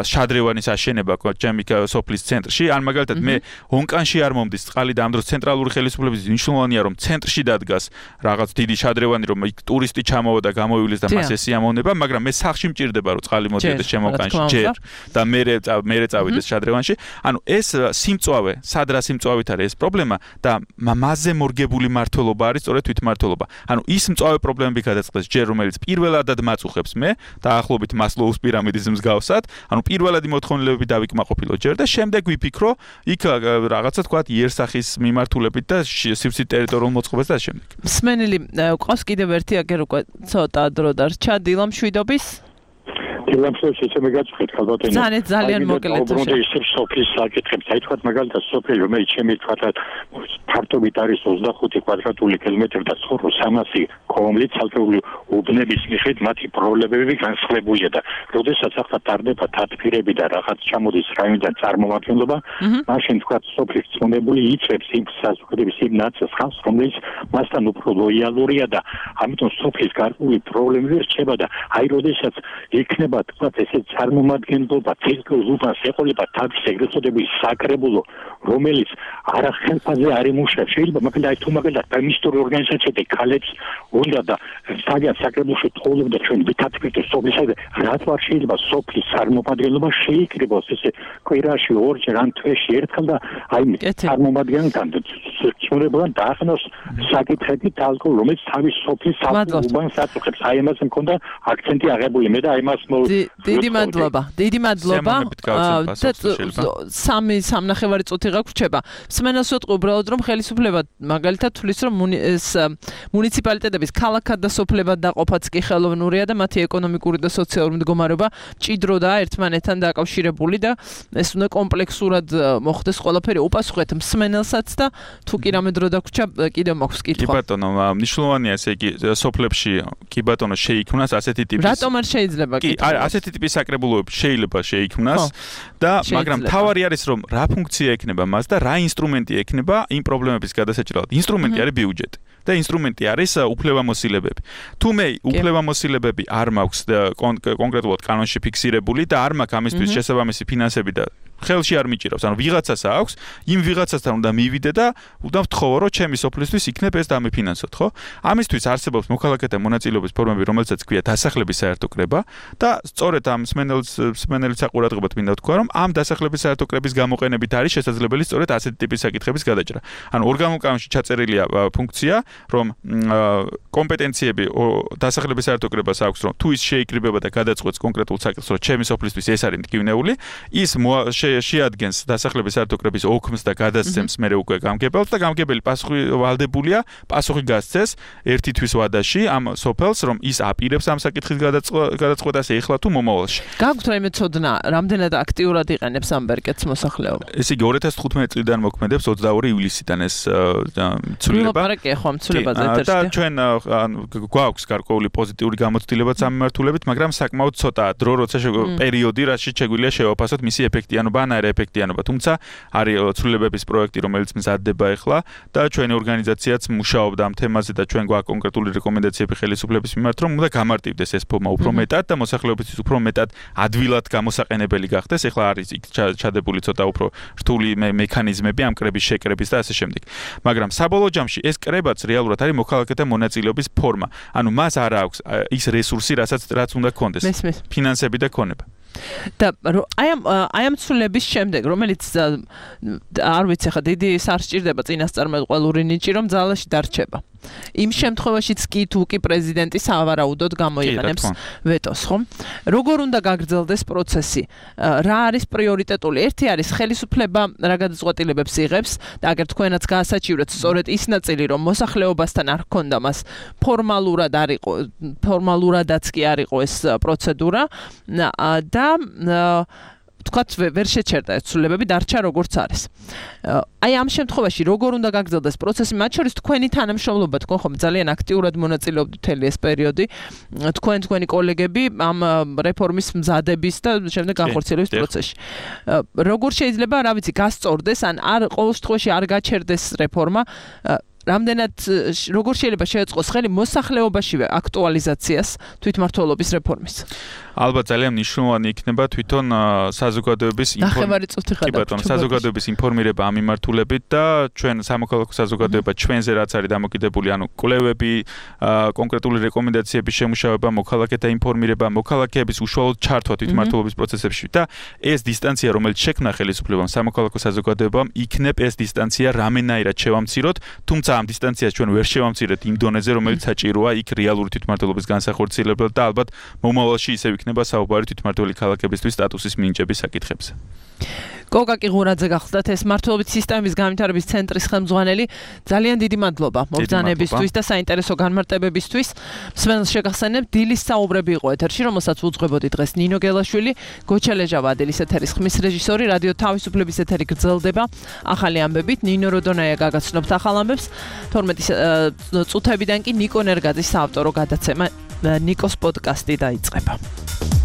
შადრევანის აშენება ჩემი სოფლის ცენტრში, ან მაგალითად მე ონკანში არ მომდის წყალი და ამ დროს ცენტრალური ხელისუფლების მნიშვნელოვანია, რომ ცენტრში დადგას რაღაც დიდი შადრევანი, რომ იქ ტურისტი ჩამოვა და გამოვივლის და მას ეს სიამოვნება, მაგრამ მე სახლში მჭირდება რომ წყალი მოდიოდეს შემოკანში ჯერ და მე წავიდეს შადრევანში. ანუ ეს სიმწვავე, სად რა სიმწვავით არის ეს პრობლემა და მასზე მორგებული მმართველობა არის სწორედ თვითმმართველობა. ანუ ის მწვავე პრობლემები გადაწყდეს ჯერ, რომელიც პირველადად მაწუხებს მე, დაახლოებით მასლოუს პირამიდის მსგავსად, ანუ პირველადი მოთხოვნილებები დავიკმაყოფილო ჯერ და შემდეგ ვიფიქრო იქ რაღაცა თქვა იერსახის მიმართულებით და სივცით ტერიტორიულ მოწყობას და შემდეგ. მსმენელი ყავს კიდევ ერთი აგერ უკვე ცოტა დრო დარჩა დილამ შვიდობის. დილამსო შეიძლება გაგწყვეტ ალბათ ძალიან მოკლედ. უბრალოდ ისე სოფლის საკითხებს, აი თქვა მაგალითად სოფელი რომელიც ჩემი თქვა ფართობით არის 25 კვადრატული კილომეტრი და ცხოვრობს 300 კომლით ცალკეული უბნების მიხედვით მათი პრობლემები განსხვავებულია და როდესაც ახლა ტარდება თათბირები და რაღაც ჩამოდის რაიონიდან წარმომადგენლობა, მაშინ თქვა სოფლის წონებული იწევს იმ საზოგადოების იმ ნაწილს, რომელიც მასთან უფრო ლოიალურია და ამიტომ სოფლის გარკვეული პრობლემები რჩება და აი როდესაც იქნება შეიძლება თქვა ესე წარმომადგენლობა ცირკულ უბანს ეყოლება თავის ეგრეთ წოდებული საკრებულო რომელიც არა ხელფაზე არ იმუშავებს შეიძლება მაგალითად თუ მაგალითად ფემინისტური ორგანიზაციები ქალებს უნდა და სადაც საკრებულოში თხოვდა ჩვენ ვითარდება სოფლისა რაც ვარ შეიძლება სოფლის წარმომადგენლობა შეიკრიბოს ესე კვირაში ორჯერ ან თვეში ერთხელ და აი წარმომადგენელთან ცნობებთან დაახნოს საკითხები თალკო რომელიც თავის სოფლის უბანს აწუხებს აი ამას მქონდა აქცენტი აღებული მე და აი მას დიდი მადლობა სამნახევარი წუთი გაგვრჩება მსმენელს ვეთყო უბრალოდ რომ ხელისუფლება მაგალითად თulis რომ მუნიციპალიტეტების ქალაქად და სოფლებად დაყოფაც კი ხელოვნურია და მათი ეკონომიკური და სოციალური მდგომარეობა მჭიდროდაა ერთმანეთთან დაკავშირებული და ეს უნდა კომპლექსურად მოხდეს ყველაფერი უპასუხეთ მსმენელსაც და თუ კი რამე დრო დაგვრჩა კიდევ მაქვს კითხვა. კი ბატონო, მნიშვნელოვანია ესე იგი სოფლებში კი ბატონო შეიქმნას ასეთი ტიპის რატომ არ შეიძლება კი ასეთი ტიპის საკრებულოები შეიძლება შეიქმნას და მაგრამ თავარი არის რომ რა ფუნქცია ექნება მას და რა ინსტრუმენტი ექნება იმ პრობლემების გადასაჭრელად. ინსტრუმენტი არის ბიუჯეტი. და ინსტრუმენტი არის უფლებამოსილებები. თუ მე უფლებამოსილებები არ მაქვს კონკრეტულად კანონში ფიქსირებული და არ მაქვს ამისთვის შესაბამისი ფინანსები და ხელში არ მიჭირავს, ანუ ვიღაცას აქვს, იმ ვიღაცასთან უნდა მივიდე და უნდა ვთხოვო, რომ ჩემი სოფლისთვის იქნებ ეს დამიფინანსოთ, ხო? ამისთვის არსებობს მოქალაქეთა მონაწილეობის ფორმები, რომელსაც ქვია დასახლების საერთო კრება და სწორედ ამ მსმენელის საყურადღებოდ მინდა ვთქვა, რომ ამ დასახლების საერთო კრების გამოყენებით არის შესაძლებელი სწორედ ასეთი ტიპის საკითხების გადაჭრა. ანუ ორგანულ კანონში ჩაწერილია ფუნქცია, რომ კომპეტენციები დასახლების საერთო კრებას აქვს, რომ თუ ის შეიკრიბება და გადაწყვეტს კონკრეტულ საკითხს, რომ ჩემი სოფლისთვის ეს არის მტკივნეული, ის შეადგენს დასახლების საერთო კრების ოქმს და გადასცემს მერე უკვე გამგებელს და გამგებელი პასუხი ვალდებულია პასუხი გასცეს ერთი თვის ვადაში ამ სოფელს რომ ის აპირებს ამ საკითხის გადაწყვეტას ეხლა თუ მომავალში. გაგვთ რაიმე ცოდნა, რამდენად აქტიურად იყენებს ამ ბერკეტს მოსახლეობა? ესე იგი 2015 წლიდან მოქმედებს 22 ივლისიდან ეს ცვლილება. ვილაპარაკე ხო ამ ცვლილებაზე ეთერში. და ჩვენ გვაქვს გარკვეული პოზიტიური გამოცდილებაც ამ მიმართულებით, მაგრამ საკმაოდ ცოტაა დრო როცა პერიოდი რაშიც შეგვიძლია შევაფასოთ მისი ეფექტიანობა ანაერე ეფექტიანობა, თუმცა არის ცვლილებების პროექტი, რომელიც მზადდება ახლა და ჩვენი ორგანიზაციაც მუშაობდა ამ თემაზე და ჩვენ გვაქვს კონკრეტული რეკომენდაციები ხელისუფლების მიმართ, რომ უნდა გამარტივდეს ეს ფორმა უფრო მეტად და მოსახლეობისთვის უფრო მეტად ადვილად გამოსაყენებელი გახდეს. ახლა არის იქ ჩადებული ცოტა უფრო რთული მექანიზმები ამ კრების შეკრების და ასე შემდეგ. მაგრამ საბოლოო ჯამში ეს კრებაც რეალურად არის მოქალაქეთა მონაწილეობის ფორმა. ანუ მას არ აქვს ის რესურსი, რაც უნდა ქონდეს. ფინანსები და ქონება. და აი ამ ცვლილების შემდეგ, რომელიც არ ვიცი ხა დიდი არ სჭირდება წინასწარმეტყველური ნიჭი, რომ ძალაში დარჩება. იმ შემთხვევაშიც კი თუ კი პრეზიდენტი სავარაუდოდ გამოიყენებს ვეტოს, ხო? როგორ უნდა გაგრძელდეს პროცესი? რა არის პრიორიტეტული? ერთი არის ხელისუფლება რა გადაწყვეტილებებს იღებს და აგერ თქვენაც გაასაჩივრეთ სწორედ ის ნაწილი, რომ მოსახლეობასთან არ ჰქონდა მას ფორმალურადაც კი არ იყო ეს პროცედურა და თქვათ ვერ შეჩერდა ეს ცვლილებები დარჩა როგორც არის. აი ამ შემთხვევაში როგორ უნდა გაგრძელდეს პროცესი, მათ შორის თქვენი თანამშრომლობა, თქვენ ხომ ძალიან აქტიურად მონაწილეობთ მთელი ეს პერიოდი, თქვენი კოლეგები ამ რეფორმის მზადების და შემდეგ განხორციელების პროცესში. როგორ შეიძლება, რა ვიცი, გასწორდეს ან არ ყოველ შემთხვევაში არ გაჩერდეს რეფორმა, რამდენად როგორ შეიძლება შეეწყოს ხელი მოსახლეობაშივე აქტუალიზაციას თვითმმართველობის რეფორმის? ალბათ ძალიან მნიშვნელოვანი იქნება თვითონ საზოგადოების საზოგადოების ინფორმირება ამ მიმართულებით და ჩვენ სამოქალაქო საზოგადოება ჩვენზე რაც არის დამოკიდებული, ანუ კვლევები, კონკრეტული რეკომენდაციების შემუშავება, მოქალაქეთა ინფორმირება, მოქალაქეების უშუალოდ ჩართვა თვითმმართველობის პროცესებში და ეს დისტანცია, რომელიც შექმნა ხელისუფლებამ სამოქალაქო საზოგადოებამ, იქნებ ეს დისტანცია რამენაირად შევამციროთ, თუმცა ამ დისტანციას ჩვენ ვერ შევამცირეთ იმ დონეზე, რომელიც საჭიროა იქ რეალური თვითმმართველობის განსახორციელებლად და ალბათ მომავალში ისევ იქნება საუბარი თვითმმართველი ქალაქებისთვის სტატუსის მინიჭების საკითხებზე. გოგაკი ღურაძე გახლდათ ეს მმართველობის სისტემის განვითარების ცენტრის ხელმძღვანელი. ძალიან დიდი მადლობა მობრძანებისთვის და საინტერესო განმარტებებისთვის. მსმენელს შეგახსენებ, დილის საუბრები იყო ეთერში, რომელსაც უძღვებოდი დღეს ნინო გელაშვილი, გოჩალეჟა ვადილის ეთერის ხმის რეჟისორი, რადიო თავისუფლების ეთერი გრძელდება ახალი ამბებით. ნინო როდონაია გაგაცნობთ ახალ ამბებს. 12 წუთებიდან კი ნიკო ნერგაძის საავტორო გადაცემა ნიკოს პოდკასტი დაიწყება.